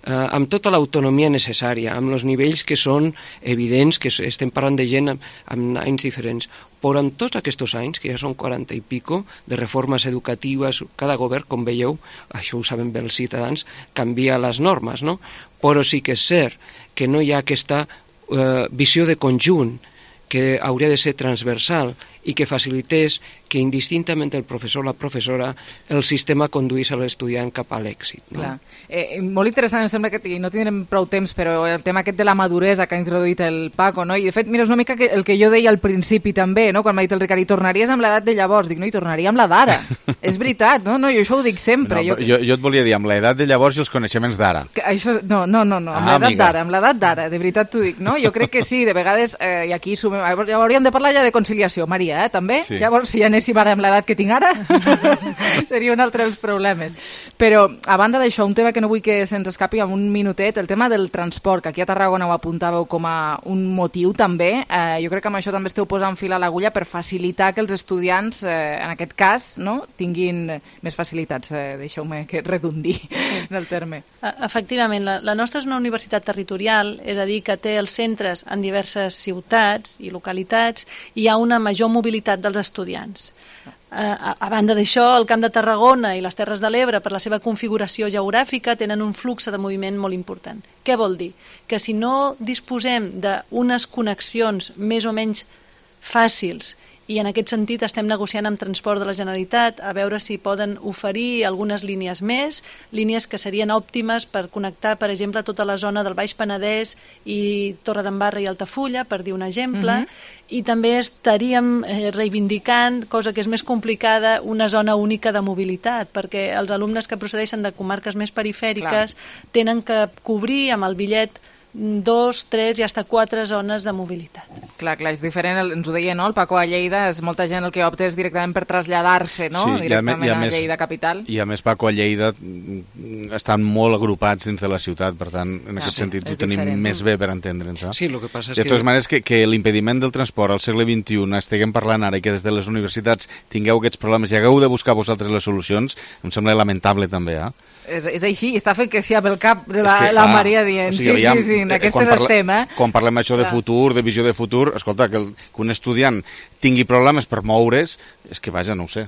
Amb tota l'autonomia necessària, amb els nivells que són evidents, que estem parlant de gent amb anys diferents, però amb tots aquests anys, que ja són 40 i pico, de reformes educatives, cada govern, com veieu, això ho saben bé els ciutadans, canvia les normes, no? Però sí que és cert que no hi ha aquesta visió de conjunt que hauria de ser transversal i que facilités que indistintament el professor o la professora el sistema conduís a l'estudiant cap a l'èxit. No? Molt interessant, em sembla que no tindrem prou temps, però el tema aquest de la maduresa que ha introduït el Paco, no? I de fet, mira, és una mica el que jo deia al principi també, no? Quan m'ha dit el Ricard, i tornaries amb l'edat de llavors? Dic, no, i tornaria amb la d'ara. És veritat, no? Jo això ho dic sempre. No, jo et volia dir, amb l'edat de llavors i els coneixements d'ara. No, amb l'edat d'ara, de veritat t'ho dic, no? Jo crec que sí, de vegades, i aquí hauríem de parlar ja de conciliació, Maria, també? Sí. Llavors, si anéssim ara amb l'edat que tinc ara, seria un altre dels problemes. Però, a banda d'això, un tema que no vull que se'ns escapi en un minutet, el tema del transport, que aquí a Tarragona ho apuntàveu com a un motiu també. Jo crec que amb això també esteu posant fil a l'agulla per facilitar que els estudiants, en aquest cas, no, tinguin més facilitats. Deixeu-me que redundi en el terme. Efectivament, la nostra és una universitat territorial, és a dir, que té els centres en diverses ciutats i localitats, i hi ha una major mobilitat dels estudiants. A banda d'això, el Camp de Tarragona i les Terres de l'Ebre, per la seva configuració geogràfica, tenen un flux de moviment molt important. Què vol dir? Que si no disposem d'unes connexions més o menys fàcils, i en aquest sentit estem negociant amb Transport de la Generalitat a veure si poden oferir algunes línies més, línies que serien òptimes per connectar, per exemple, tota la zona del Baix Penedès i Torredembarra i Altafulla, per dir un exemple, i també estaríem reivindicant, cosa que és més complicada, una zona única de mobilitat, perquè els alumnes que procedeixen de comarques més perifèriques tenen que cobrir amb el bitllet 2, 3 i fins a 4 zones de mobilitat. Clar, és diferent, ens ho deia, no? El Paco a Lleida, molta gent el que opta és directament per traslladar-se, no? Sí, directament a Lleida capital. I a més, Paco, a Lleida estan molt agrupats dins de la ciutat, per tant, en aquest sentit ho tenim més bé per entendre'ns. Sí, el que passa és de totes maneres, que l'impediment del transport al segle XXI estiguem parlant ara i que des de les universitats tingueu aquests problemes i hagueu de buscar vosaltres les solucions, em sembla lamentable també, És així, està fent que sí pel cap de la Maria dient. Sí, en aquestes estem, Quan parlem això de futur, de visió de futur, escolta, que un estudiant tingui problemes per moure's, és que vaja, no ho sé.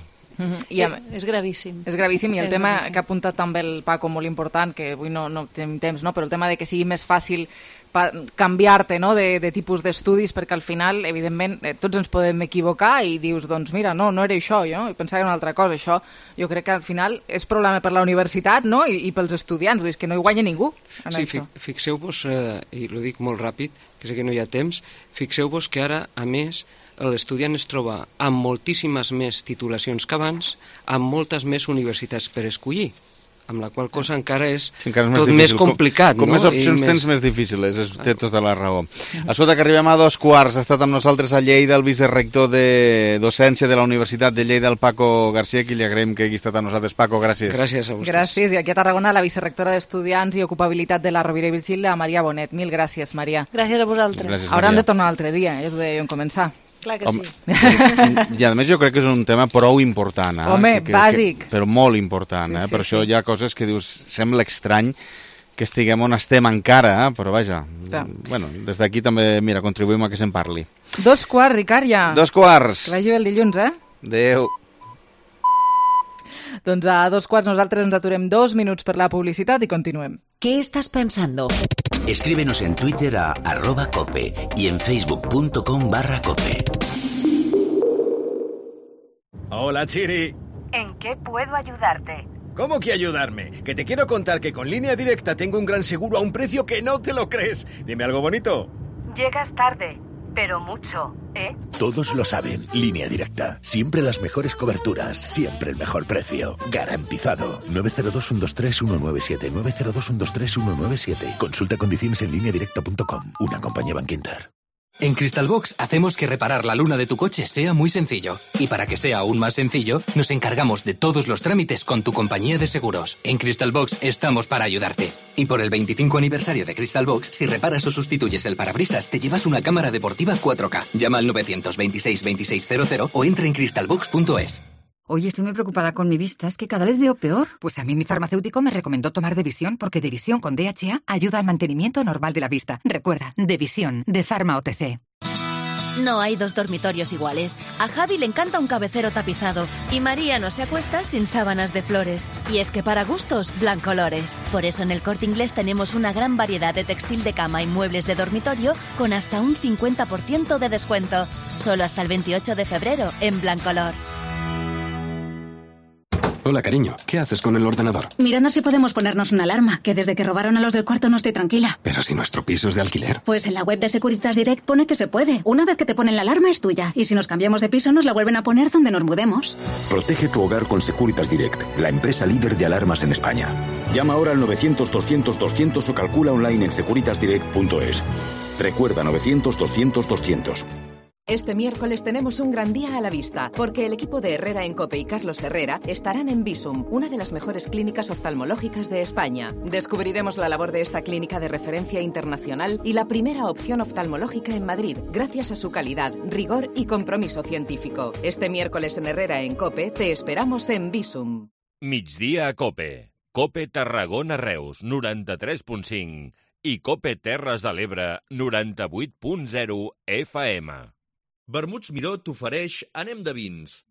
És gravíssim. És gravíssim, i el tema que ha apuntat també el Paco, molt important, que avui no tenim temps, no? Però el tema de que sigui més fàcil canviar-te, no, de tipus d'estudis, perquè al final, evidentment, tots ens podem equivocar i dius, doncs mira, no era això, jo pensava que era una altra cosa. Això jo crec que al final és problema per la universitat, no? I pels estudiants, vull dir, que no hi guanya ningú en això. Fixeu-vos, i ho dic molt ràpid, que sé que no hi ha temps, fixeu-vos que ara, a més, l'estudiant es troba amb moltíssimes més titulacions que abans, amb moltes més universitats per escollir, amb la qual cosa encara és tot més complicat. Com més opcions tens, més difícil és, té tota la raó. Escolta, que arribem a 2:15, ha estat amb nosaltres a Lleida el vicerector de docència de la Universitat de Lleida, el Paco García, qui li agraïm que hagi estat amb nosaltres. Paco, gràcies. Gràcies a vostès. Gràcies, i aquí a Tarragona la vicerectora d'Estudiants i Ocupabilitat de la Rovira i Virgili, la Maria Bonet. Mil gràcies, Maria. Gràcies a vosaltres. Gràcies, Hauran de tornar l'altre dia, ja us ho deia en començar. Clar que sí. I a més jo crec que és un tema prou important. Home, bàsic. Però molt important. Per això hi ha coses que dius, sembla estrany que estiguem on estem encara, però vaja, bueno, des d'aquí també, mira, contribuïm a que se'n parli. 2:15, Ricard, ja. 2:15. Que vagi bé el dilluns, Adéu. Doncs a 2:15 nosaltres ens aturem 2 minuts per la publicitat i continuem. ¿Qué estás pensando? Escríbenos en Twitter a @cope y en facebook.com/cope. Hola, Chiri. ¿En qué puedo ayudarte? ¿Cómo que ayudarme? Que te quiero contar que con Línea Directa tengo un gran seguro a un precio que no te lo crees. Dime algo bonito. Llegas tarde, pero mucho, ¿eh? Todos lo saben. Línea Directa. Siempre las mejores coberturas. Siempre el mejor precio. Garantizado. 902-123-197. 902-123-197. Consulta condiciones en lineadirecta.com. Una compañía Bankinter. En Crystalbox hacemos que reparar la luna de tu coche sea muy sencillo. Y para que sea aún más sencillo, nos encargamos de todos los trámites con tu compañía de seguros. En Crystalbox estamos para ayudarte. Y por el 25 aniversario de Crystalbox, si reparas o sustituyes el parabrisas, te llevas una cámara deportiva 4K. Llama al 926 2600 o entra en crystalbox.es. Oye, estoy muy preocupada con mi vista, es que cada vez veo peor. Pues a mí mi farmacéutico me recomendó tomar Devisión porque Devisión con DHA ayuda al mantenimiento normal de la vista. Recuerda, Devisión, de Pharma OTC. No hay dos dormitorios iguales. A Javi le encanta un cabecero tapizado y María no se acuesta sin sábanas de flores. Y es que para gustos, Blancolores. Por eso en el Corte Inglés tenemos una gran variedad de textil de cama y muebles de dormitorio con hasta un 50% de descuento. Solo hasta el 28 de febrero en Blancolor. Hola, cariño. ¿Qué haces con el ordenador? Mirando si podemos ponernos una alarma, que desde que robaron a los del cuarto no estoy tranquila. Pero si nuestro piso es de alquiler. Pues en la web de Securitas Direct pone que se puede. Una vez que te ponen la alarma es tuya. Y si nos cambiamos de piso nos la vuelven a poner donde nos mudemos. Protege tu hogar con Securitas Direct, la empresa líder de alarmas en España. Llama ahora al 900-200-200 o calcula online en securitasdirect.es. Recuerda 900-200-200. Este miércoles tenemos un gran día a la vista, porque el equipo de Herrera en COPE y Carlos Herrera estarán en Visum, una de las mejores clínicas oftalmológicas de España. Descubriremos la labor de esta clínica de referencia internacional y la primera opción oftalmológica en Madrid, gracias a su calidad, rigor y compromiso científico. Este miércoles en Herrera en COPE te esperamos en Visum. Migdia a COPE. COPE Tarragona Reus, 93.5 i COPE Terres de l'Ebre, 98.0 FM. Vermuts Miró t'ofereix Anem de vins.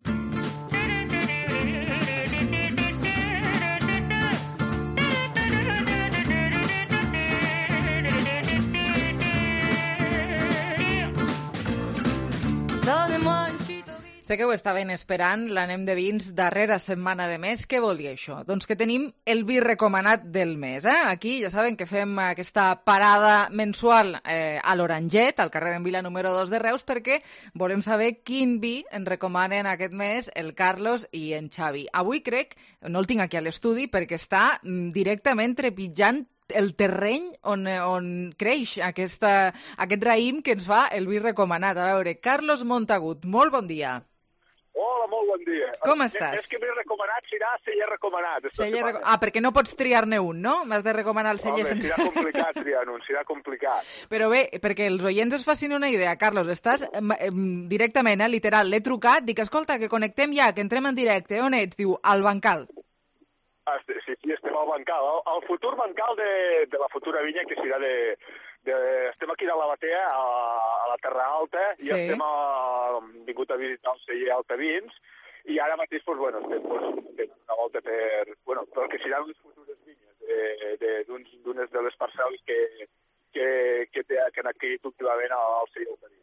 Sé que ho estaven esperant, l'Anem de vins, darrera setmana de mes. Què vol dir això? Doncs que tenim el vi recomanat del mes. Aquí ja saben que fem aquesta parada mensual a l'Oranget, al carrer d'en Vila número 2 de Reus, perquè volem saber quin vi ens recomanen aquest mes el Carlos i en Xavi. Avui crec, no el tinc aquí a l'estudi, perquè està directament trepitjant el terreny on creix aquest raïm que ens fa el vi recomanat. A veure, Carlos Montagut, molt bon dia. Hola, molt bon dia. Com estàs? És que m'he recomanat, serà celler recomanat. Perquè no pots triar-ne un, no? M'has de recomanar el celler sense... Serà complicat triar-ne un, serà complicat. Però bé, perquè els oients es facin una idea, Carlos, estàs directament, literal, l'he trucat, dic, escolta, que connectem ja, que entrem en directe. On ets? Diu, al bancal. Sí, estem al bancal. El futur bancal de la futura vinya, que serà estem aquí de la Batea, a la Terra Alta, i estem vingut a visitar el celler Altavins, i ara mateix, estem fent una volta per el que seran les futures vinyes d'unes de les parcel·les que han adquirit últimament el celler Altavins.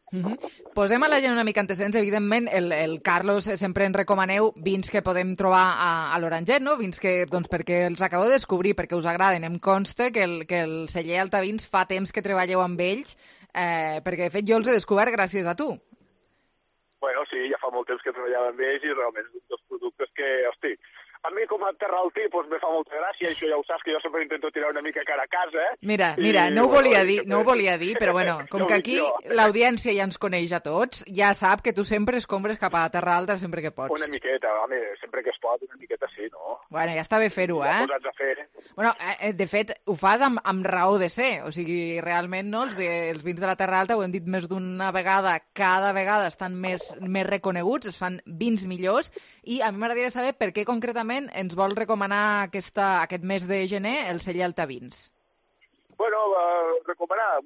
Posem a la gent una mica antecedents. Evidentment, el Carlos sempre en recomaneu vins que podem trobar a l'Oranget, no? Vins que, perquè els acabeu de descobrir, perquè us agraden. Em consta que el celler Altavins fa temps que treballeu amb ells, perquè de fet jo els he descobert gràcies a tu. Bueno, sí, ja fa molt temps que treballava amb ells i realment és un dels productes que, hosti, a mi com a terraltí me fa molta gràcia, això ja ho saps, que jo sempre intento tirar una mica cara a casa. Mira, no ho volia dir, però bueno, com que aquí l'audiència ja ens coneix a tots, ja sap que tu sempre escombres cap a Terra Alta sempre que pots. Una miqueta, home, sempre que es pot, una miqueta sí, no? Bueno, ja està bé fer-ho, Posats a fer. Bueno, de fet, ho fas amb raó de ser, o sigui, realment, no? Els vins de la Terra Alta, ho hem dit més d'una vegada, cada vegada estan més reconeguts, es fan vins millors, i a mi m'agradaria saber per què concretament ens vol recomanar aquest mes de gener el celler Altavins. Recomanar,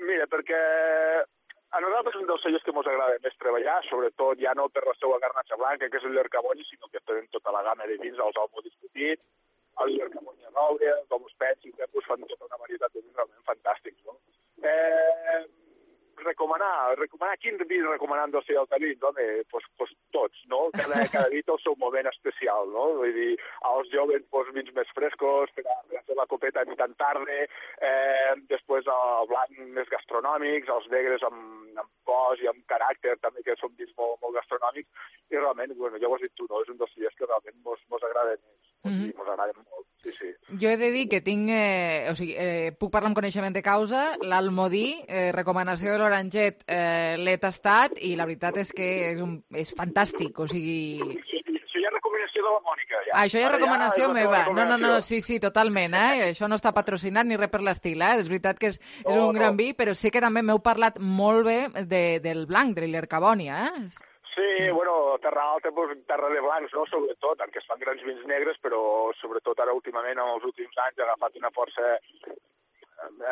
mira, perquè a nosaltres un dels cellers que ens agrada més treballar, sobretot ja no per la seva garnatxa blanca, que és el Llercaboni, sinó que tenen tota la gamma de vins, els Olmo discutits, el Llercaboni a roure, els Domus Pets, i que fan tota una varietat de vins realment fantàstics, no? Recomanar quin vi recomanant del celler Altavins, home, pues tots, no? Cada vi té el seu moment especial, no? Vull dir, als joves, vins més frescos, per a fer la copeta ni tan tarda, després el blanc més gastronòmics, els negres amb cos i amb caràcter, també, que són vins molt gastronòmics, i realment, ja ho has dit tu, no? És un dels cellers que realment mos agrada més. Mos agrada molt, sí. Jo he de dir que tinc, puc parlar amb coneixement de causa, l'Almodí, recomanació de l'Oranget, l'he tastat i la veritat és que és fantàstic, o sigui... Això ja és recomanació de la Mònica, ja. Això ja és recomanació meva. No, sí, totalment, Això no està patrocinat ni res per l'estil, És veritat que és un gran vi, però sí que també m'heu parlat molt bé del blanc, de l'Llercaboni, Sí, Terra Alta, terra de blancs, no?, sobretot, perquè es fan grans vins negres, però sobretot ara últimament, en els últims anys, ha agafat una força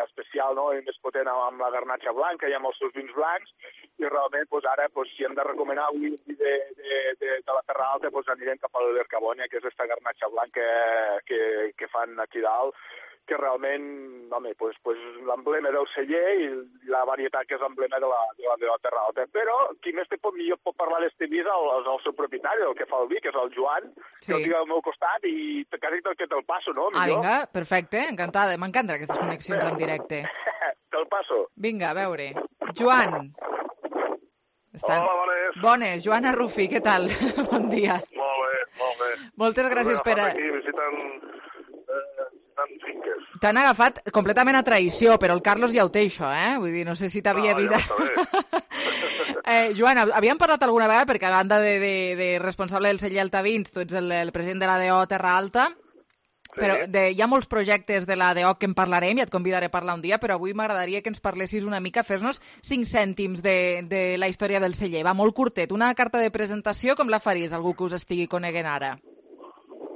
especial, no?, i més potent amb la garnatxa blanca i amb els seus vins blancs, i realment, ara, si hem de recomanar un vi de la Terra Alta, anirem cap a l'Llercaboni, que és aquesta garnatxa blanca que fan aquí dalt, que realment, home, l'emblema del celler i la varietat que és l'emblema de la Terra Alta. Però qui més millor pot parlar d'este vi és el seu propietari, el que fa el vi, que és el Joan, que el tinc al meu costat i quasi que te'l passo, no? Vinga, perfecte, encantada. M'encanten aquestes connexions en directe. Te'l passo. Vinga, a veure. Joan. Hola, bones. Bones. Joan Arrufi, què tal? Bon dia. Molt bé. Moltes gràcies per... Aquí visitant finques. T'han agafat completament a traïció, però el Carlos ja ho té, això, Vull dir, no sé si t'havia vist... Joan, havíem parlat alguna vegada, perquè a banda de responsable del celler Altavins, tu ets el president de l'ADO Terra Alta, però hi ha molts projectes de l'ADO que en parlarem i et convidaré a parlar un dia, però avui m'agradaria que ens parlessis una mica, fes-nos 5 cèntims de la història del celler. Va, molt curtet. Una carta de presentació, com la faries algú que us estigui coneguent ara?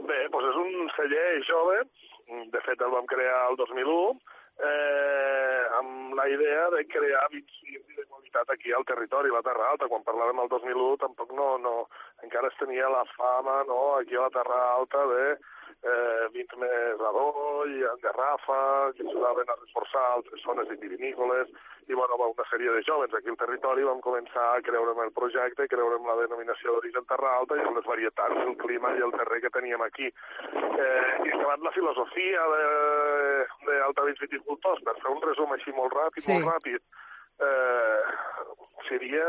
Bé, doncs és un celler jove. De fet, el vam crear el 2001 amb la idea de crear vins de qualitat aquí al territori, a la Terra Alta. Quan parlàvem el 2001 tampoc encara es tenia la fama aquí a la Terra Alta de vins més adoll, en garrafa, que ajudaven a reforçar altres zones vitivinícoles, i una sèrie de jovens aquí al territori vam començar a creure en el projecte, creure en la denominació d'origen Terra Alta i en les varietats, el clima i el terrer que teníem aquí. I acabat la filosofia d'Altavins Viticultors, per fer un resum així molt ràpid, seria,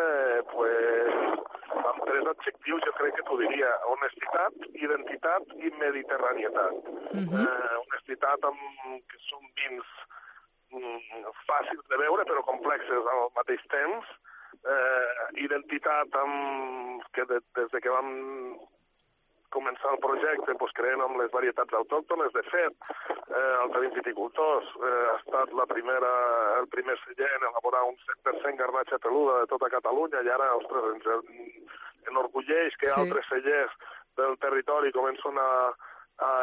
amb 3 adjectius, jo crec que t'ho diria: honestitat, identitat i mediterranietat. Honestitat que són vins fàcils de veure però complexes al mateix temps. Identitat que des que vam començar el projecte creent amb les varietats autòctones. De fet, Altavins Viticultors ha estat el primer celler en elaborar un 100% garnatxa peluda de tota Catalunya, i ara, ostres, ens enorgulleix que altres cellers del territori comencen a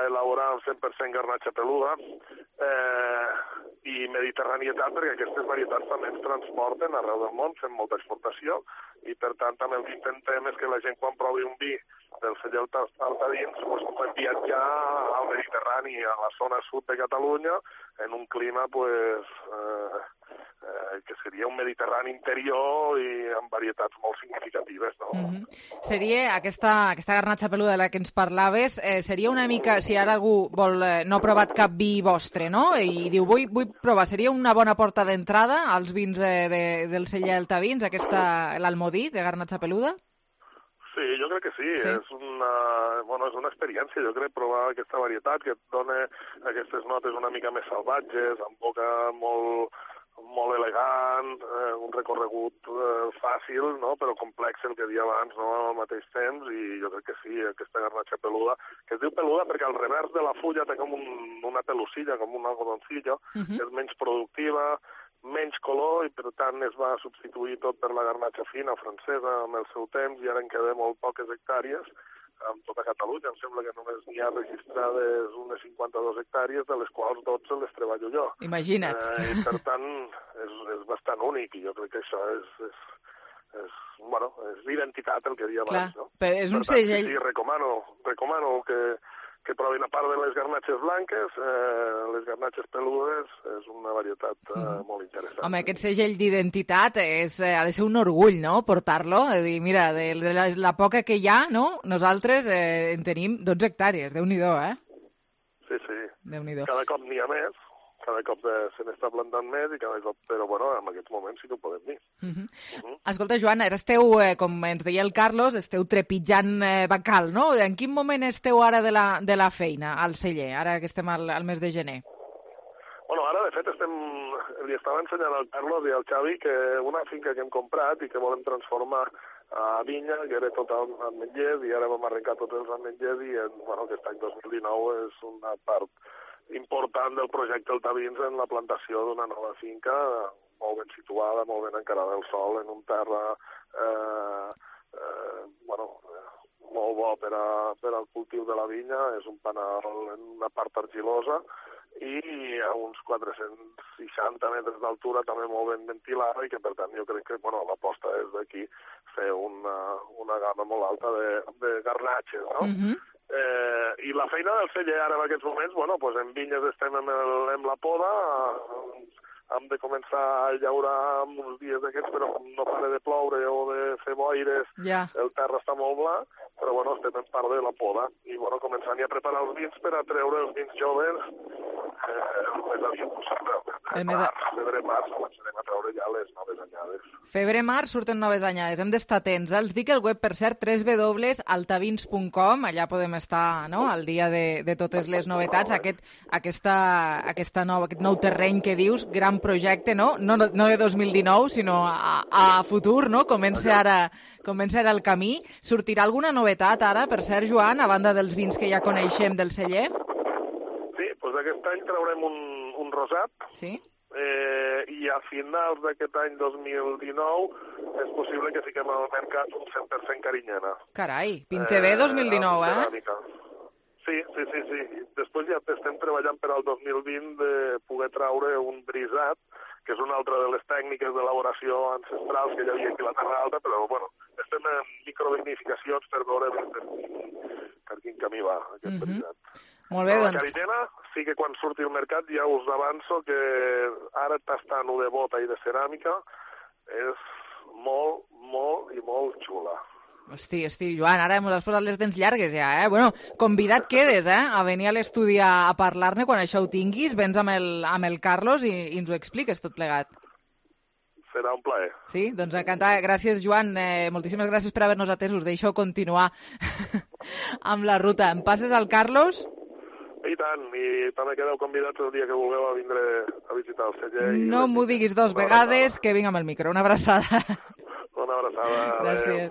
elaborar un 100% garnatxa peluda, i mediterranietat, perquè aquestes varietats també ens transporten arreu del món, fem molta exportació, i per tant també el que intentem és que la gent, quan provi un vi del celler Altavins, pugui viatjar al Mediterrani, a la zona sud de Catalunya, en un clima que seria un Mediterrani interior i amb varietats molt significatives, no? Seria aquesta garnatxa peluda de la que ens parlaves, seria una mica, si ara algú no ha provat cap vi vostre, no?, i diu, vull provar, seria una bona porta d'entrada als vins del celler Altavins, l'Almodí de garnatxa peluda? Sí, jo crec que sí. És una experiència, jo crec, provar aquesta varietat que et dona aquestes notes una mica més salvatges, amb boca molt elegant, un recorregut fàcil, no?, però complex, el que deia abans, no?, al mateix temps, i jo crec que sí, aquesta garnatxa peluda, que es diu peluda perquè al revers de la fulla té com una pelusilla, com un algodoncillo, que és menys productiva, menys color, i per tant es va substituir tot per la garnatxa fina francesa amb el seu temps, i ara en queden molt poques hectàrees, amb tota Catalunya. Em sembla que només n'hi ha registrades unes 52 hectàrees, de les quals 12 les treballo jo. Imagina't. I per tant, és bastant únic, i jo crec que això és l'identitat, el que deia abans, no? Però és un per tant, segell... Sí, recomano que provin, a part de les garnatxes blanques, les garnatxes peludes, és una varietat molt interessant. Home, aquest segell d'identitat ha de ser un orgull, no?, portar-lo. És a dir, mira, de la poca que hi ha, no?, nosaltres en tenim 12 hectàrees, Déu-n'hi-do, Sí. Déu-n'hi-do. Cada cop n'hi ha més, cada cop se n'està plantant més, però bueno, en aquests moments sí que ho podem dir. Escolta, Joan, ara esteu, com ens deia el Carlos, esteu trepitjant bacal, no? En quin moment esteu ara de la feina al celler, ara que estem al mes de gener? Bueno, ara, de fet, li estava ensenyant al Carlos i al Xavi que una finca que hem comprat i que volem transformar a vinya, que era tot ametllers, i ara vam arrencar tots els ametllers, i aquest any 2019 és una part important del projecte Altavins en la plantació d'una nova finca molt ben situada, molt ben encarada al sol, en un terra molt bo per al cultiu de la vinya. És un panal en una part argilosa i a uns 460 metres d'altura, també molt ben ventilada, i que per tant jo crec que l'aposta és d'aquí fer una gamma molt alta de garnatxes, no? I la feina del celler ara en aquests moments, en vinyes estem amb la poda, hem de començar a llaurar uns dies d'aquests, però no para de ploure o de fer boires, el terra està molt bla, però estem en part de la poda, i començant ja a preparar els vins per a treure els vins joves el més aviat possible. Febrer-març començarem a treure ja les noves anyades. Febrer-març surten noves anyades, hem d'estar atents. Els dic el web, per cert, www.altavins.com, allà podem estar al dia de totes les novetats. Aquest nou terreny que dius, gran projecte, no de 2019, sinó a futur, no? Comença ara el camí. Sortirà alguna novetat ara, per cert, Joan, a banda dels vins que ja coneixem del celler? Sí, doncs aquest any traurem un rosat. Sí. I a finals d'aquest any 2019 és possible que fiquem al mercat un 100% carinyena. Carai, pinte bé 2019, Sí. Després ja estem treballant per al 2020 de poder traure un brisat, que és una altra de les tècniques d'elaboració ancestrals que hi havia aquí a la Terra Alta, però estem en microvinificacions per veure per quin camí va aquest brisat. Molt bé, La carinyena sí que quan surti al mercat ja us avanço que ara tastant-ho de bota i de ceràmica és molt, molt i molt xula. Hosti, Joan, ara mos has posat les dents llargues ja, Bueno, convidat quedes, a venir a l'estudi a parlar-ne quan això ho tinguis, vens amb el Carlos i ens ho expliques tot plegat. Serà un plaer. Sí? Doncs encantat. Gràcies, Joan. Moltíssimes gràcies per haver-nos atès. Us deixo continuar amb la ruta. Em passes al Carlos? I tant, i també quedeu convidats el dia que vulgueu a vindre a visitar el celler. No m'ho diguis dos vegades, que vinc amb el micro. Una abraçada. Una abraçada. Gràcies.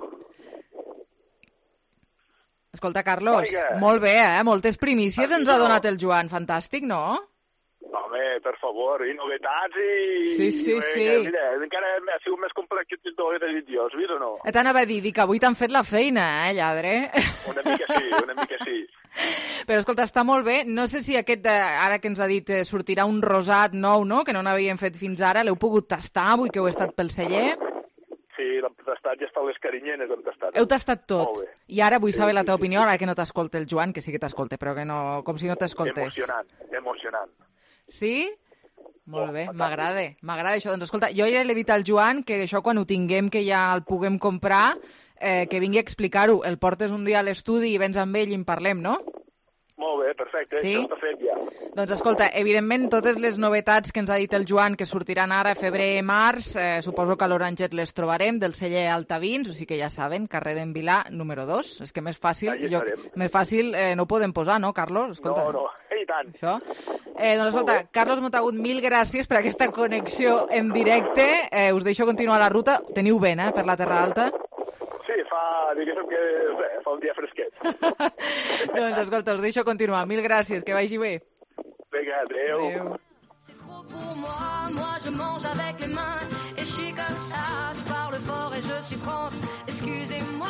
Escolta, Carlos, molt bé, moltes primícies ens ha donat el Joan. Fantàstic, no? Home, per favor, i novetats i... Sí. Mira, encara ha sigut més complex que tot el desitjós, has vist o no? T'anava a dir que avui t'han fet la feina, lladre? Una mica sí. Però, escolta, està molt bé. No sé si aquest, ara que ens ha dit, sortirà un rosat nou, no?, que no n'havíem fet fins ara. L'heu pogut tastar avui que heu estat pel celler? Sí, l'hem tastat, ja estan les carinyenes, hem tastat. Heu tastat tot. I ara vull saber la teva opinió, ara que no t'escolta el Joan, que sí que t'escolta, però que no, com si no t'escoltés. Emocionant. Sí? Molt bé, m'agrada això. Doncs escolta, jo ja l'he dit al Joan que això quan ho tinguem, que ja el puguem comprar, que vingui a explicar-ho. El portes un dia a l'estudi i vens amb ell i en parlem, no? Molt bé, perfecte, sí? Això està fet ja. Doncs escolta, evidentment totes les novetats que ens ha dit el Joan que sortiran ara febrer, març, suposo que a l'Oranget les trobarem, del celler Altavins, o sigui que ja saben, carrer d'en Vilà, número 2. És que més fàcil no ho podem posar, no, Carlos? Escolta. No, i tant. Això. Doncs escolta, Carlos Montagut, mil gràcies per aquesta connexió en directe. Us deixo continuar la ruta. Teniu vent, per la Terra Alta? Sí, fa un dia fresquet. Doncs escolta, us deixo continuar. Mil gràcies, que vagi bé. Vinga, adéu. C'est trop pour moi je mange avec les mains et je suis comme ça, je parle fort et je suis France, excusez-moi.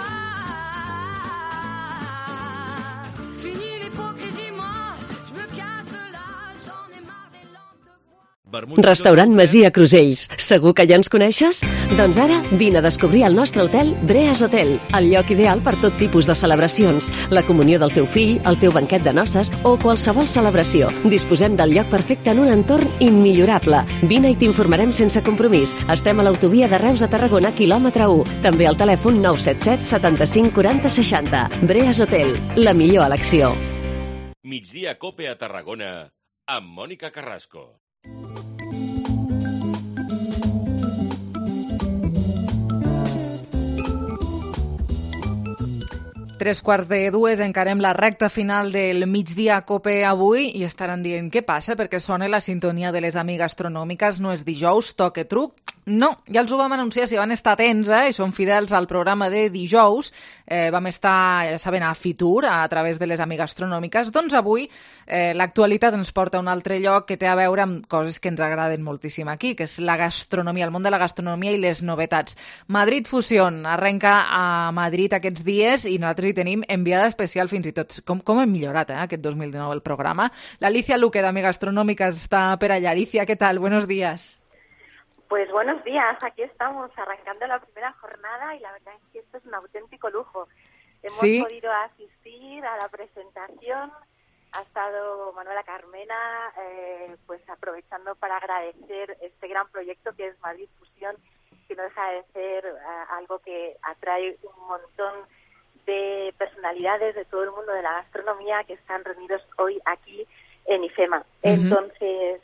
l'hypocrisie, moi, je me casse là, j'en ai marre des lampes de bois. Restaurant Masia Crusells. Segur que ja ens coneixes? Doncs ara vine a descobrir el nostre hotel Breas Hotel, el lloc ideal per tot tipus de celebracions, la comunió del teu fill, el teu banquet de noces o qualsevol celebració. Disposem del lloc perfecte en un entorn immillorable. Vine i t'informarem sense compromís. Estem a l'autovia de Reus a Tarragona, quilòmetre 1. També al telèfon 977 75 40 60. Breas Hotel, la millor elecció. Migdia Cope a Tarragona amb Mònica Carrasco. Tres quarts de dues, encarem la recta final del migdia Cope avui i estaran dient què passa perquè sona la sintonia de les amigues astronòmiques, no és dijous, toque truc. No, ja els ho vam anunciar, si van estar atents i són fidels al programa de dijous, vam estar, ja saben, a Fitur a través de les amigues astronòmiques, doncs avui l'actualitat ens porta a un altre lloc que té a veure amb coses que ens agraden moltíssim aquí, que és la gastronomia, el món de la gastronomia i les novetats. Madrid Fusión arrenca a Madrid aquests dies i nosaltres hi tenim enviada especial fins i tot. Com hem millorat aquest 2019 el programa. L'Alicia Luque d'Amiga Astronòmica està per allà. Alicia, ¿qué tal? Buenos días. Pues buenos días, aquí estamos arrancando la primera jornada y la verdad es que esto es un auténtico lujo. Hemos podido asistir a la presentación, ha estado Manuela Carmena, pues aprovechando para agradecer este gran proyecto que es Madrid Fusión, que no deja de ser algo que atrae un montón de personalidades de todo el mundo de la gastronomía que están reunidos hoy aquí en IFEMA. Entonces,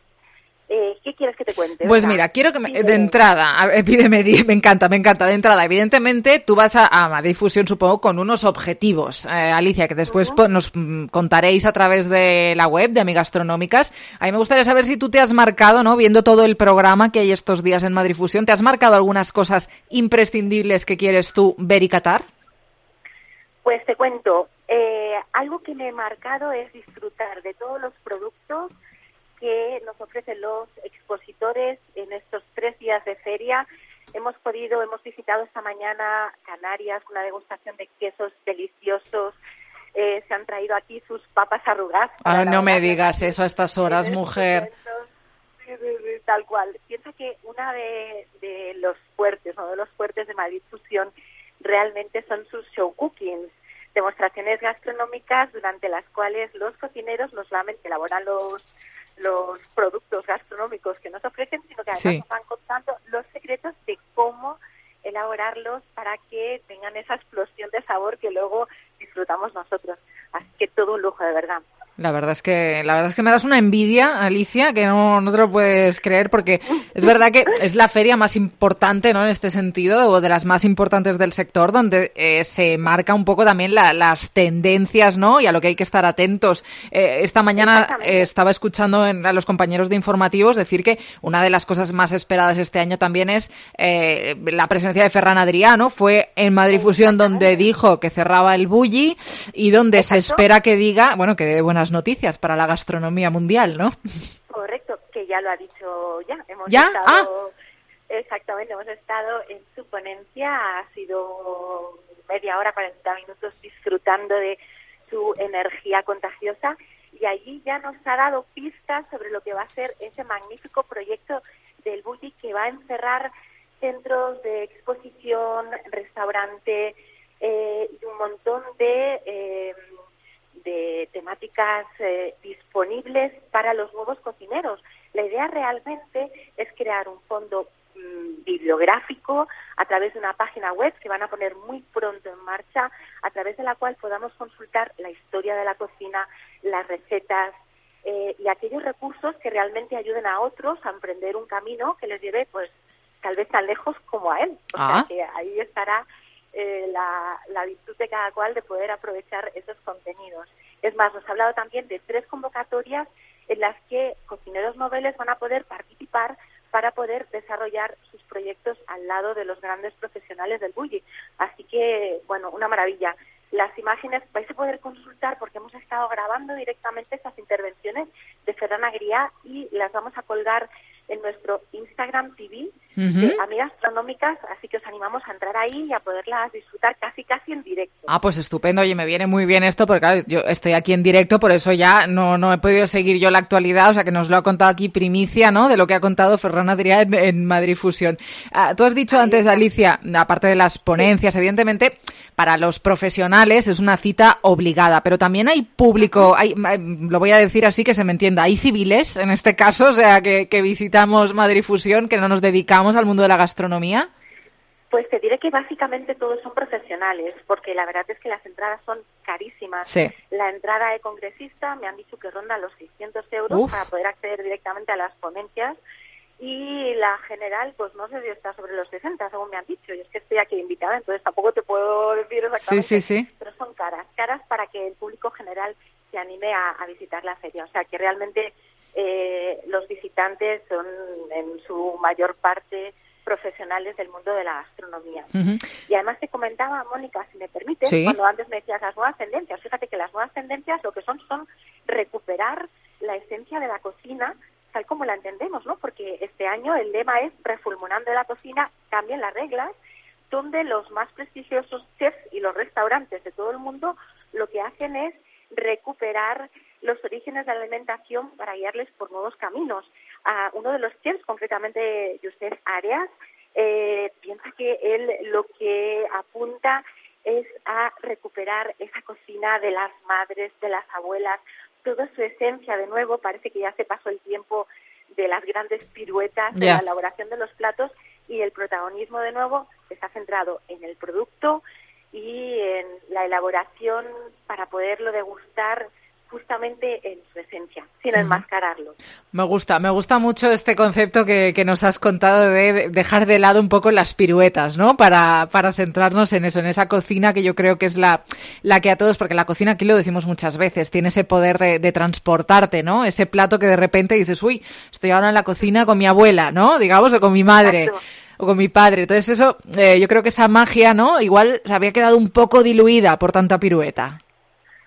¿qué quieres que te cuente? Pues mira, quiero que de entrada, pídeme, me encanta, de entrada. Evidentemente, tú vas a Madrid Fusión, supongo, con unos objetivos, Alicia, que después nos contaréis a través de la web de Amigas Astronómicas. A mí me gustaría saber si tú te has marcado, ¿no? Viendo todo el programa que hay estos días en Madrid Fusión, ¿te has marcado algunas cosas imprescindibles que quieres tú ver y catar? Pues te cuento, algo que me he marcado es disfrutar de todos los productos que nos ofrecen los expositores en estos 3 días de feria. Hemos visitado esta mañana Canarias, una degustación de quesos deliciosos. Se han traído aquí sus papas arrugadas. No me digas eso a estas horas, mujer. Sí, tal cual. Piensa que una de los fuertes, uno de los fuertes de Madrid Fusión realmente son sus show cookings, demostraciones gastronómicas durante las cuales los cocineros no solamente elaboran los productos gastronómicos que nos ofrecen, sino que además nos van contando los secretos de cómo elaborarlos para que tengan esa explosión de sabor que luego disfrutamos nosotros. Así que todo un lujo, de verdad. La verdad es que me das una envidia, Alicia, que no te lo puedes creer, porque es verdad que es la feria más importante, ¿no? En este sentido, o de las más importantes del sector, donde se marca un poco también las tendencias, ¿no? Y a lo que hay que estar atentos. Esta mañana estaba escuchando a los compañeros de informativos decir que una de las cosas más esperadas este año también es la presencia de Ferran Adrià, ¿no? Fue en Madrid Fusión donde dijo que cerraba el Bulli y donde se espera que diga, bueno, que dé buenas noticias para la gastronomía mundial, ¿no? Correcto, que ya lo ha dicho ya. Hemos estado en su ponencia, ha sido media hora, 40 minutos disfrutando de su energía contagiosa y allí ya nos ha dado pistas sobre lo que va a ser ese magnífico proyecto del Bulli que va a encerrar centros de exposición, restaurante y un montón de temáticas disponibles para los nuevos cocineros. La idea realmente es crear un fondo bibliográfico a través de una página web que van a poner muy pronto en marcha, a través de la cual podamos consultar la historia de la cocina, las recetas y aquellos recursos que realmente ayuden a otros a emprender un camino que les lleve, pues, tal vez tan lejos como a él. O sea que ahí estará la virtud de cada cual de poder aprovechar esos contenidos. Es más, nos ha hablado también de 3 convocatorias en las que cocineros noveles van a poder participar para poder desarrollar sus proyectos al lado de los grandes profesionales del Bulli. Así que, bueno, una maravilla. Las imágenes vais a poder consultar porque hemos estado grabando directamente estas intervenciones de Ferran Adrià y las vamos a colgar en nuestro Instagram TV de amigas gastronómicas, así que os animamos a entrar ahí y a poderlas disfrutar casi en directo. Ah, pues estupendo. Oye, me viene muy bien esto, porque claro, yo estoy aquí en directo, por eso ya no he podido seguir yo la actualidad, o sea que nos lo ha contado aquí primicia, ¿no?, de lo que ha contado Ferran Adrià en Madrid Fusión. Tú has dicho antes, Alicia, aparte de las ponencias, evidentemente, para los profesionales es una cita obligada, pero también hay público, lo voy a decir así que se me entienda, hay civiles en este caso, o sea, que visitamos Madrid Fusión, que no nos dedicamos al mundo de la gastronomía. Pues te diré que básicamente todos son profesionales, porque la verdad es que las entradas son carísimas. Sí. La entrada de congresista me han dicho que ronda los 600 euros para poder acceder directamente a las ponencias, y la general, pues no sé si está sobre los 60, según me han dicho. Y es que estoy aquí invitada, entonces tampoco te puedo decir exactamente. Sí. Pero son caras para que el público general se anime a visitar la feria. O sea, que realmente los visitantes son en su mayor parte profesionales del mundo de la gastronomía. Y además te comentaba, Mónica, si me permites, cuando antes me decías las nuevas tendencias, fíjate que las nuevas tendencias lo que son recuperar la esencia de la cocina tal como la entendemos, ¿no? Porque este año el lema es Refulmunando la cocina, cambien las reglas, donde los más prestigiosos chefs y los restaurantes de todo el mundo lo que hacen es recuperar los orígenes de la alimentación para guiarles por nuevos caminos. Uno de los chefs, concretamente Josep Arias, piensa que él lo que apunta es a recuperar esa cocina de las madres, de las abuelas, toda su esencia de nuevo. Parece que ya se pasó el tiempo de las grandes piruetas de la elaboración de los platos, y el protagonismo de nuevo está centrado en el producto y en la elaboración para poderlo degustar justamente en su esencia, sin enmascararlo. Me gusta mucho este concepto que nos has contado de dejar de lado un poco las piruetas, ¿no? Para centrarnos en eso, en esa cocina que yo creo que es la que a todos, porque la cocina, aquí lo decimos muchas veces, tiene ese poder de transportarte, ¿no? Ese plato que de repente dices, uy, estoy ahora en la cocina con mi abuela, ¿no? Digamos, o con mi madre. Exacto. O con mi padre. Entonces eso, yo creo que esa magia, ¿no? Igual se había quedado un poco diluida por tanta pirueta.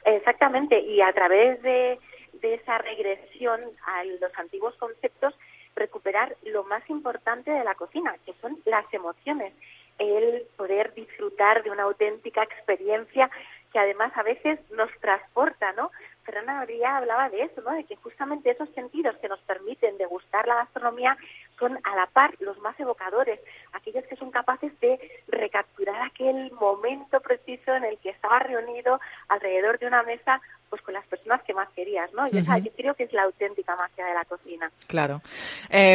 Exactamente, y a través de esa regresión a los antiguos conceptos, recuperar lo más importante de la cocina, que son las emociones, el poder disfrutar de una auténtica experiencia que además a veces nos transporta, ¿no? Ferran Adrià hablaba de eso, ¿no? De que justamente esos sentidos que nos permiten degustar la gastronomía son a la par los más evocadores, aquellos que son capaces de recapturar aquel momento preciso en el que estabas reunido alrededor de una mesa, pues con las personas que más querías, ¿no? Y esa, yo creo que es la auténtica magia de la cocina. Claro.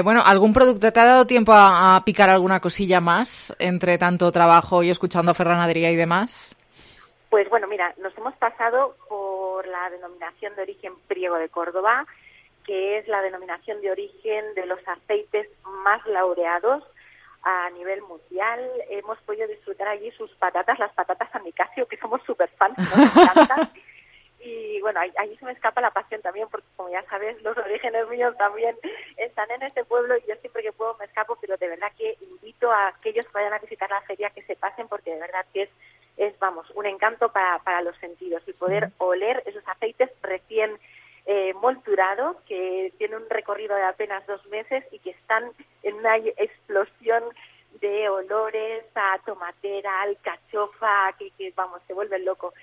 Bueno, ¿algún producto te ha dado tiempo a picar alguna cosilla más entre tanto trabajo y escuchando a Ferran Adrià y demás? Pues bueno, mira, nos hemos pasado por la denominación de origen Priego de Córdoba, que es la denominación de origen de los aceites más laureados a nivel mundial. Hemos podido disfrutar allí sus patatas, las patatas San Nicasio, que somos súper fans, nos encantan. Y bueno, allí se me escapa la pasión también, porque como ya sabes, los orígenes míos también están en este pueblo, y yo siempre que puedo me escapo, pero de verdad que invito a aquellos que vayan a visitar la feria que se pasen, porque de verdad que es vamos, un encanto para los sentidos, y poder oler esos aceites recién molturados, que tienen un recorrido de apenas 2 meses y que están en una explosión de olores a tomatera, alcachofa, que vamos, te vuelven loco.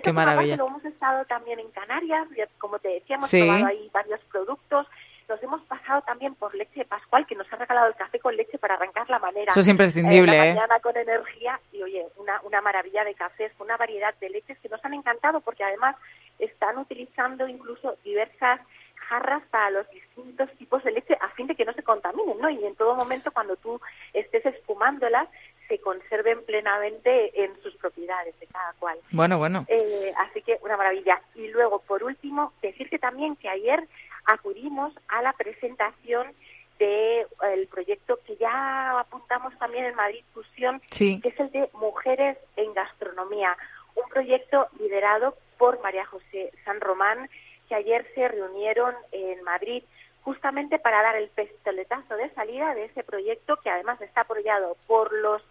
Qué maravilla. Lo hemos estado también en Canarias, como te decía, hemos probado ahí varios productos. Nos hemos pasado también por leche de Pascual, que nos ha regalado el café con leche para arrancar la manera. Eso es imprescindible, la mañana con energía, y oye, una maravilla de cafés, una variedad de leches que nos han encantado, porque además están utilizando incluso diversas jarras para los distintos tipos de leche a fin de que no se contaminen, ¿no? Y en todo momento, cuando tú estés espumándolas, se conserven plenamente en sus propiedades de cada cual. Bueno. Así que una maravilla. Y luego, por último, decirte también que ayer acudimos a la presentación del proyecto que ya apuntamos también en Madrid Fusión, que es el de Mujeres en Gastronomía, un proyecto liderado por María José San Román, que ayer se reunieron en Madrid justamente para dar el pistoletazo de salida de ese proyecto, que además está apoyado por los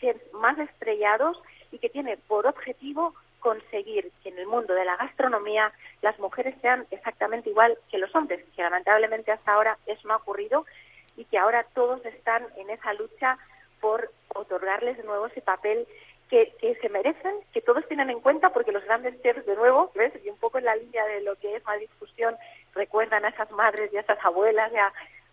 chefs más estrellados y que tiene por objetivo conseguir que en el mundo de la gastronomía las mujeres sean exactamente igual que los hombres, que lamentablemente hasta ahora eso no ha ocurrido, y que ahora todos están en esa lucha por otorgarles de nuevo ese papel que se merecen, que todos tienen en cuenta, porque los grandes chefs, de nuevo, ¿ves? Y un poco en la línea de lo que es Madrid Fusión, recuerdan a esas madres y a esas abuelas,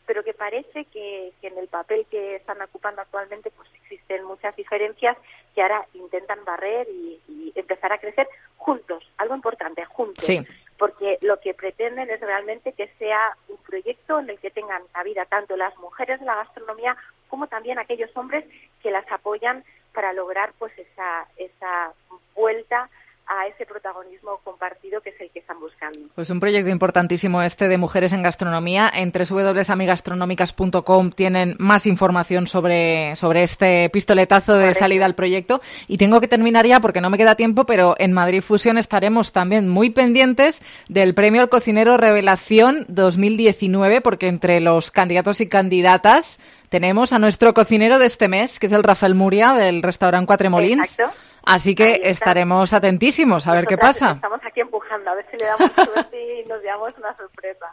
pero que parece que en el papel que están ocupando actualmente pues existen muchas diferencias que ahora intentan barrer y empezar a crecer juntos, algo importante, juntos. Sí. Porque lo que pretenden es realmente que sea un proyecto en el que tengan cabida tanto las mujeres de la gastronomía como también aquellos hombres que las apoyan para lograr pues esa vuelta a ese protagonismo compartido que es el que están buscando. Pues un proyecto importantísimo este de Mujeres en Gastronomía. En www.amigastronómicas.com tienen más información sobre este pistoletazo de salida al proyecto. Y tengo que terminar ya porque no me queda tiempo, pero en Madrid Fusión estaremos también muy pendientes del Premio al Cocinero Revelación 2019, porque entre los candidatos y candidatas tenemos a nuestro cocinero de este mes, que es el Rafael Muria, del restaurante Quatre Molins. Exacto. Así que estaremos atentísimos a ver qué pasa. Estamos aquí empujando, a ver si le damos suerte y nos llevamos una sorpresa.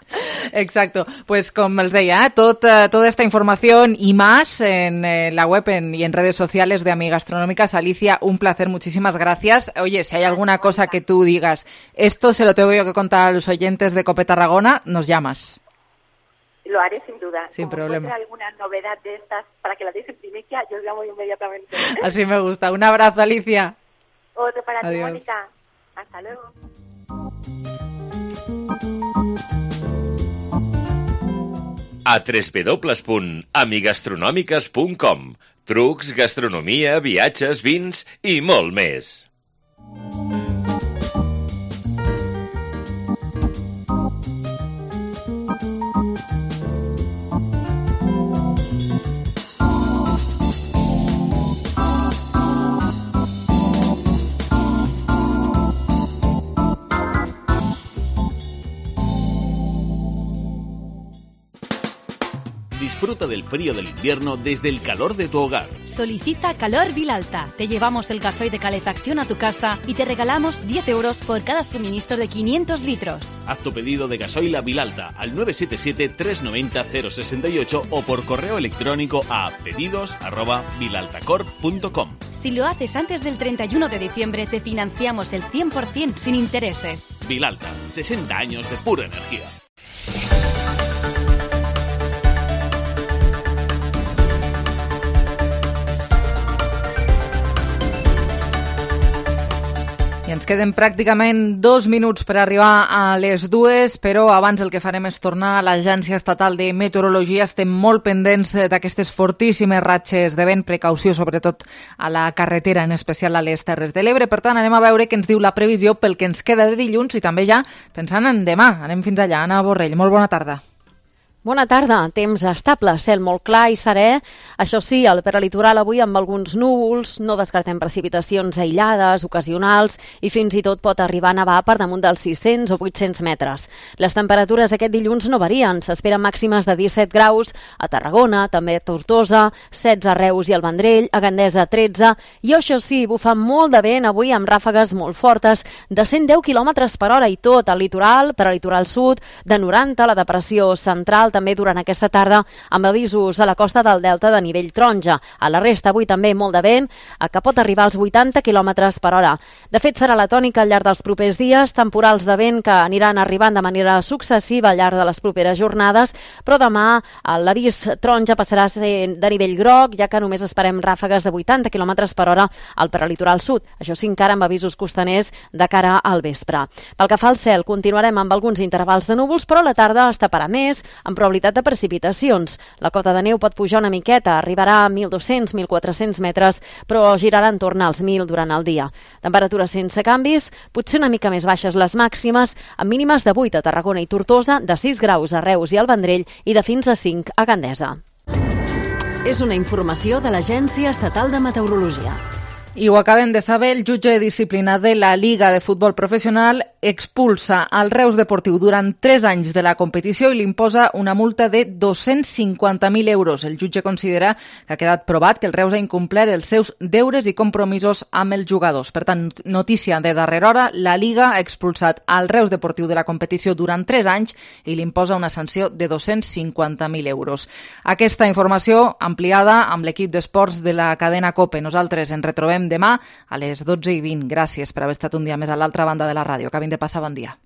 Exacto. Pues com els deia, toda esta información y más en la web y en redes sociales de Amigastronómicas. Alicia, un placer, muchísimas gracias. Oye, si hay alguna cosa que tú digas, esto se lo tengo yo que contar a los oyentes de COPE Tarragona, nos llamas. Lo haré sin duda. Sin problema. Si alguna novedad de estas para que la deis en primicia, yo os llamo inmediatamente. Así me gusta. Un abrazo, Alicia. Otro para ti, Adiós. Mónica. Hasta luego. A www.amigastronòmiques.com. Trucs, gastronomia, viatges, vins i molt més. Disfruta del frío del invierno desde el calor de tu hogar. Solicita Calor Vilalta. Te llevamos el gasoil de calefacción a tu casa y te regalamos 10 euros por cada suministro de 500 litros. Haz tu pedido de gasoil a Vilalta al 977-390-068 o por correo electrónico a pedidos@vilaltacorp.com. Si lo haces antes del 31 de diciembre, te financiamos el 100% sin intereses. Vilalta, 60 años de pura energía. I ens queden pràcticament 2 minuts per arribar a les 2, però abans el que farem és tornar a l'Agència Estatal de Meteorologia. Estem molt pendents d'aquestes fortíssimes ratxes de vent, precaució sobretot a la carretera, en especial a les Terres de l'Ebre. Per tant, anem a veure què ens diu la previsió pel que ens queda de dilluns i també ja pensant en demà. Anem fins allà. Anna Borrell, molt bona tarda. Bona tarda. Temps estable, cel molt clar i serè. Això sí, al peralitoral avui amb alguns núvols, no descartem precipitacions aïllades, ocasionals, i fins i tot pot arribar a nevar per damunt dels 600 o 800 metres. Les temperatures aquest dilluns no varien. S'esperen màximes de 17 graus a Tarragona, també a Tortosa, 16 a Reus i al Vendrell, a Gandesa 13, i això sí, bufa molt de vent avui amb ràfegues molt fortes de 110 km per hora i tot al litoral, peralitoral sud, de 90 a la depressió central, també durant aquesta tarda amb avisos a la costa del Delta de nivell taronja. A la resta avui també molt de vent, que pot arribar als 80 km per hora. De fet, serà la tònica al llarg dels propers dies, temporals de vent que aniran arribant de manera successiva al llarg de les properes jornades, però demà l'avís taronja passarà a ser de nivell groc, ja que només esperem ràfegues de 80 km per hora al peralitoral sud. Això sí, encara amb avisos costaners de cara al vespre. Pel que fa al cel, continuarem amb alguns intervals de núvols, però a la tarda es taparà més, amb probabilitat de precipitacions. La cota de neu pot pujar una miqueta, arribarà a 1.200-1.400 metres, però girarà en torn als 1.000 durant el dia. Temperatures sense canvis, potser una mica més baixes les màximes, amb mínimes de 8 a Tarragona i Tortosa, de 6 graus a Reus i al Vendrell i de fins a 5 a Gandesa. És una informació de l'Agència Estatal de Meteorologia. I ho acabem de saber, el jutge de disciplina de la Liga de Futbol Professional expulsa al Reus Deportiu durant 3 anys de la competició i li imposa una multa de 250.000 euros. El jutge considera que ha quedat provat que el Reus ha incomplert els seus deures i compromisos amb els jugadors. Per tant, notícia de darrera hora, la Liga ha expulsat al Reus Deportiu de la competició durant 3 anys i li imposa una sanció de 250.000 euros. Aquesta informació ampliada amb l'equip d'esports de la cadena COPE. Nosaltres ens retrobem demà a les 12:20. Gràcies per haver estat un dia més a l'altra banda de la ràdio. Acabin de passar bon dia.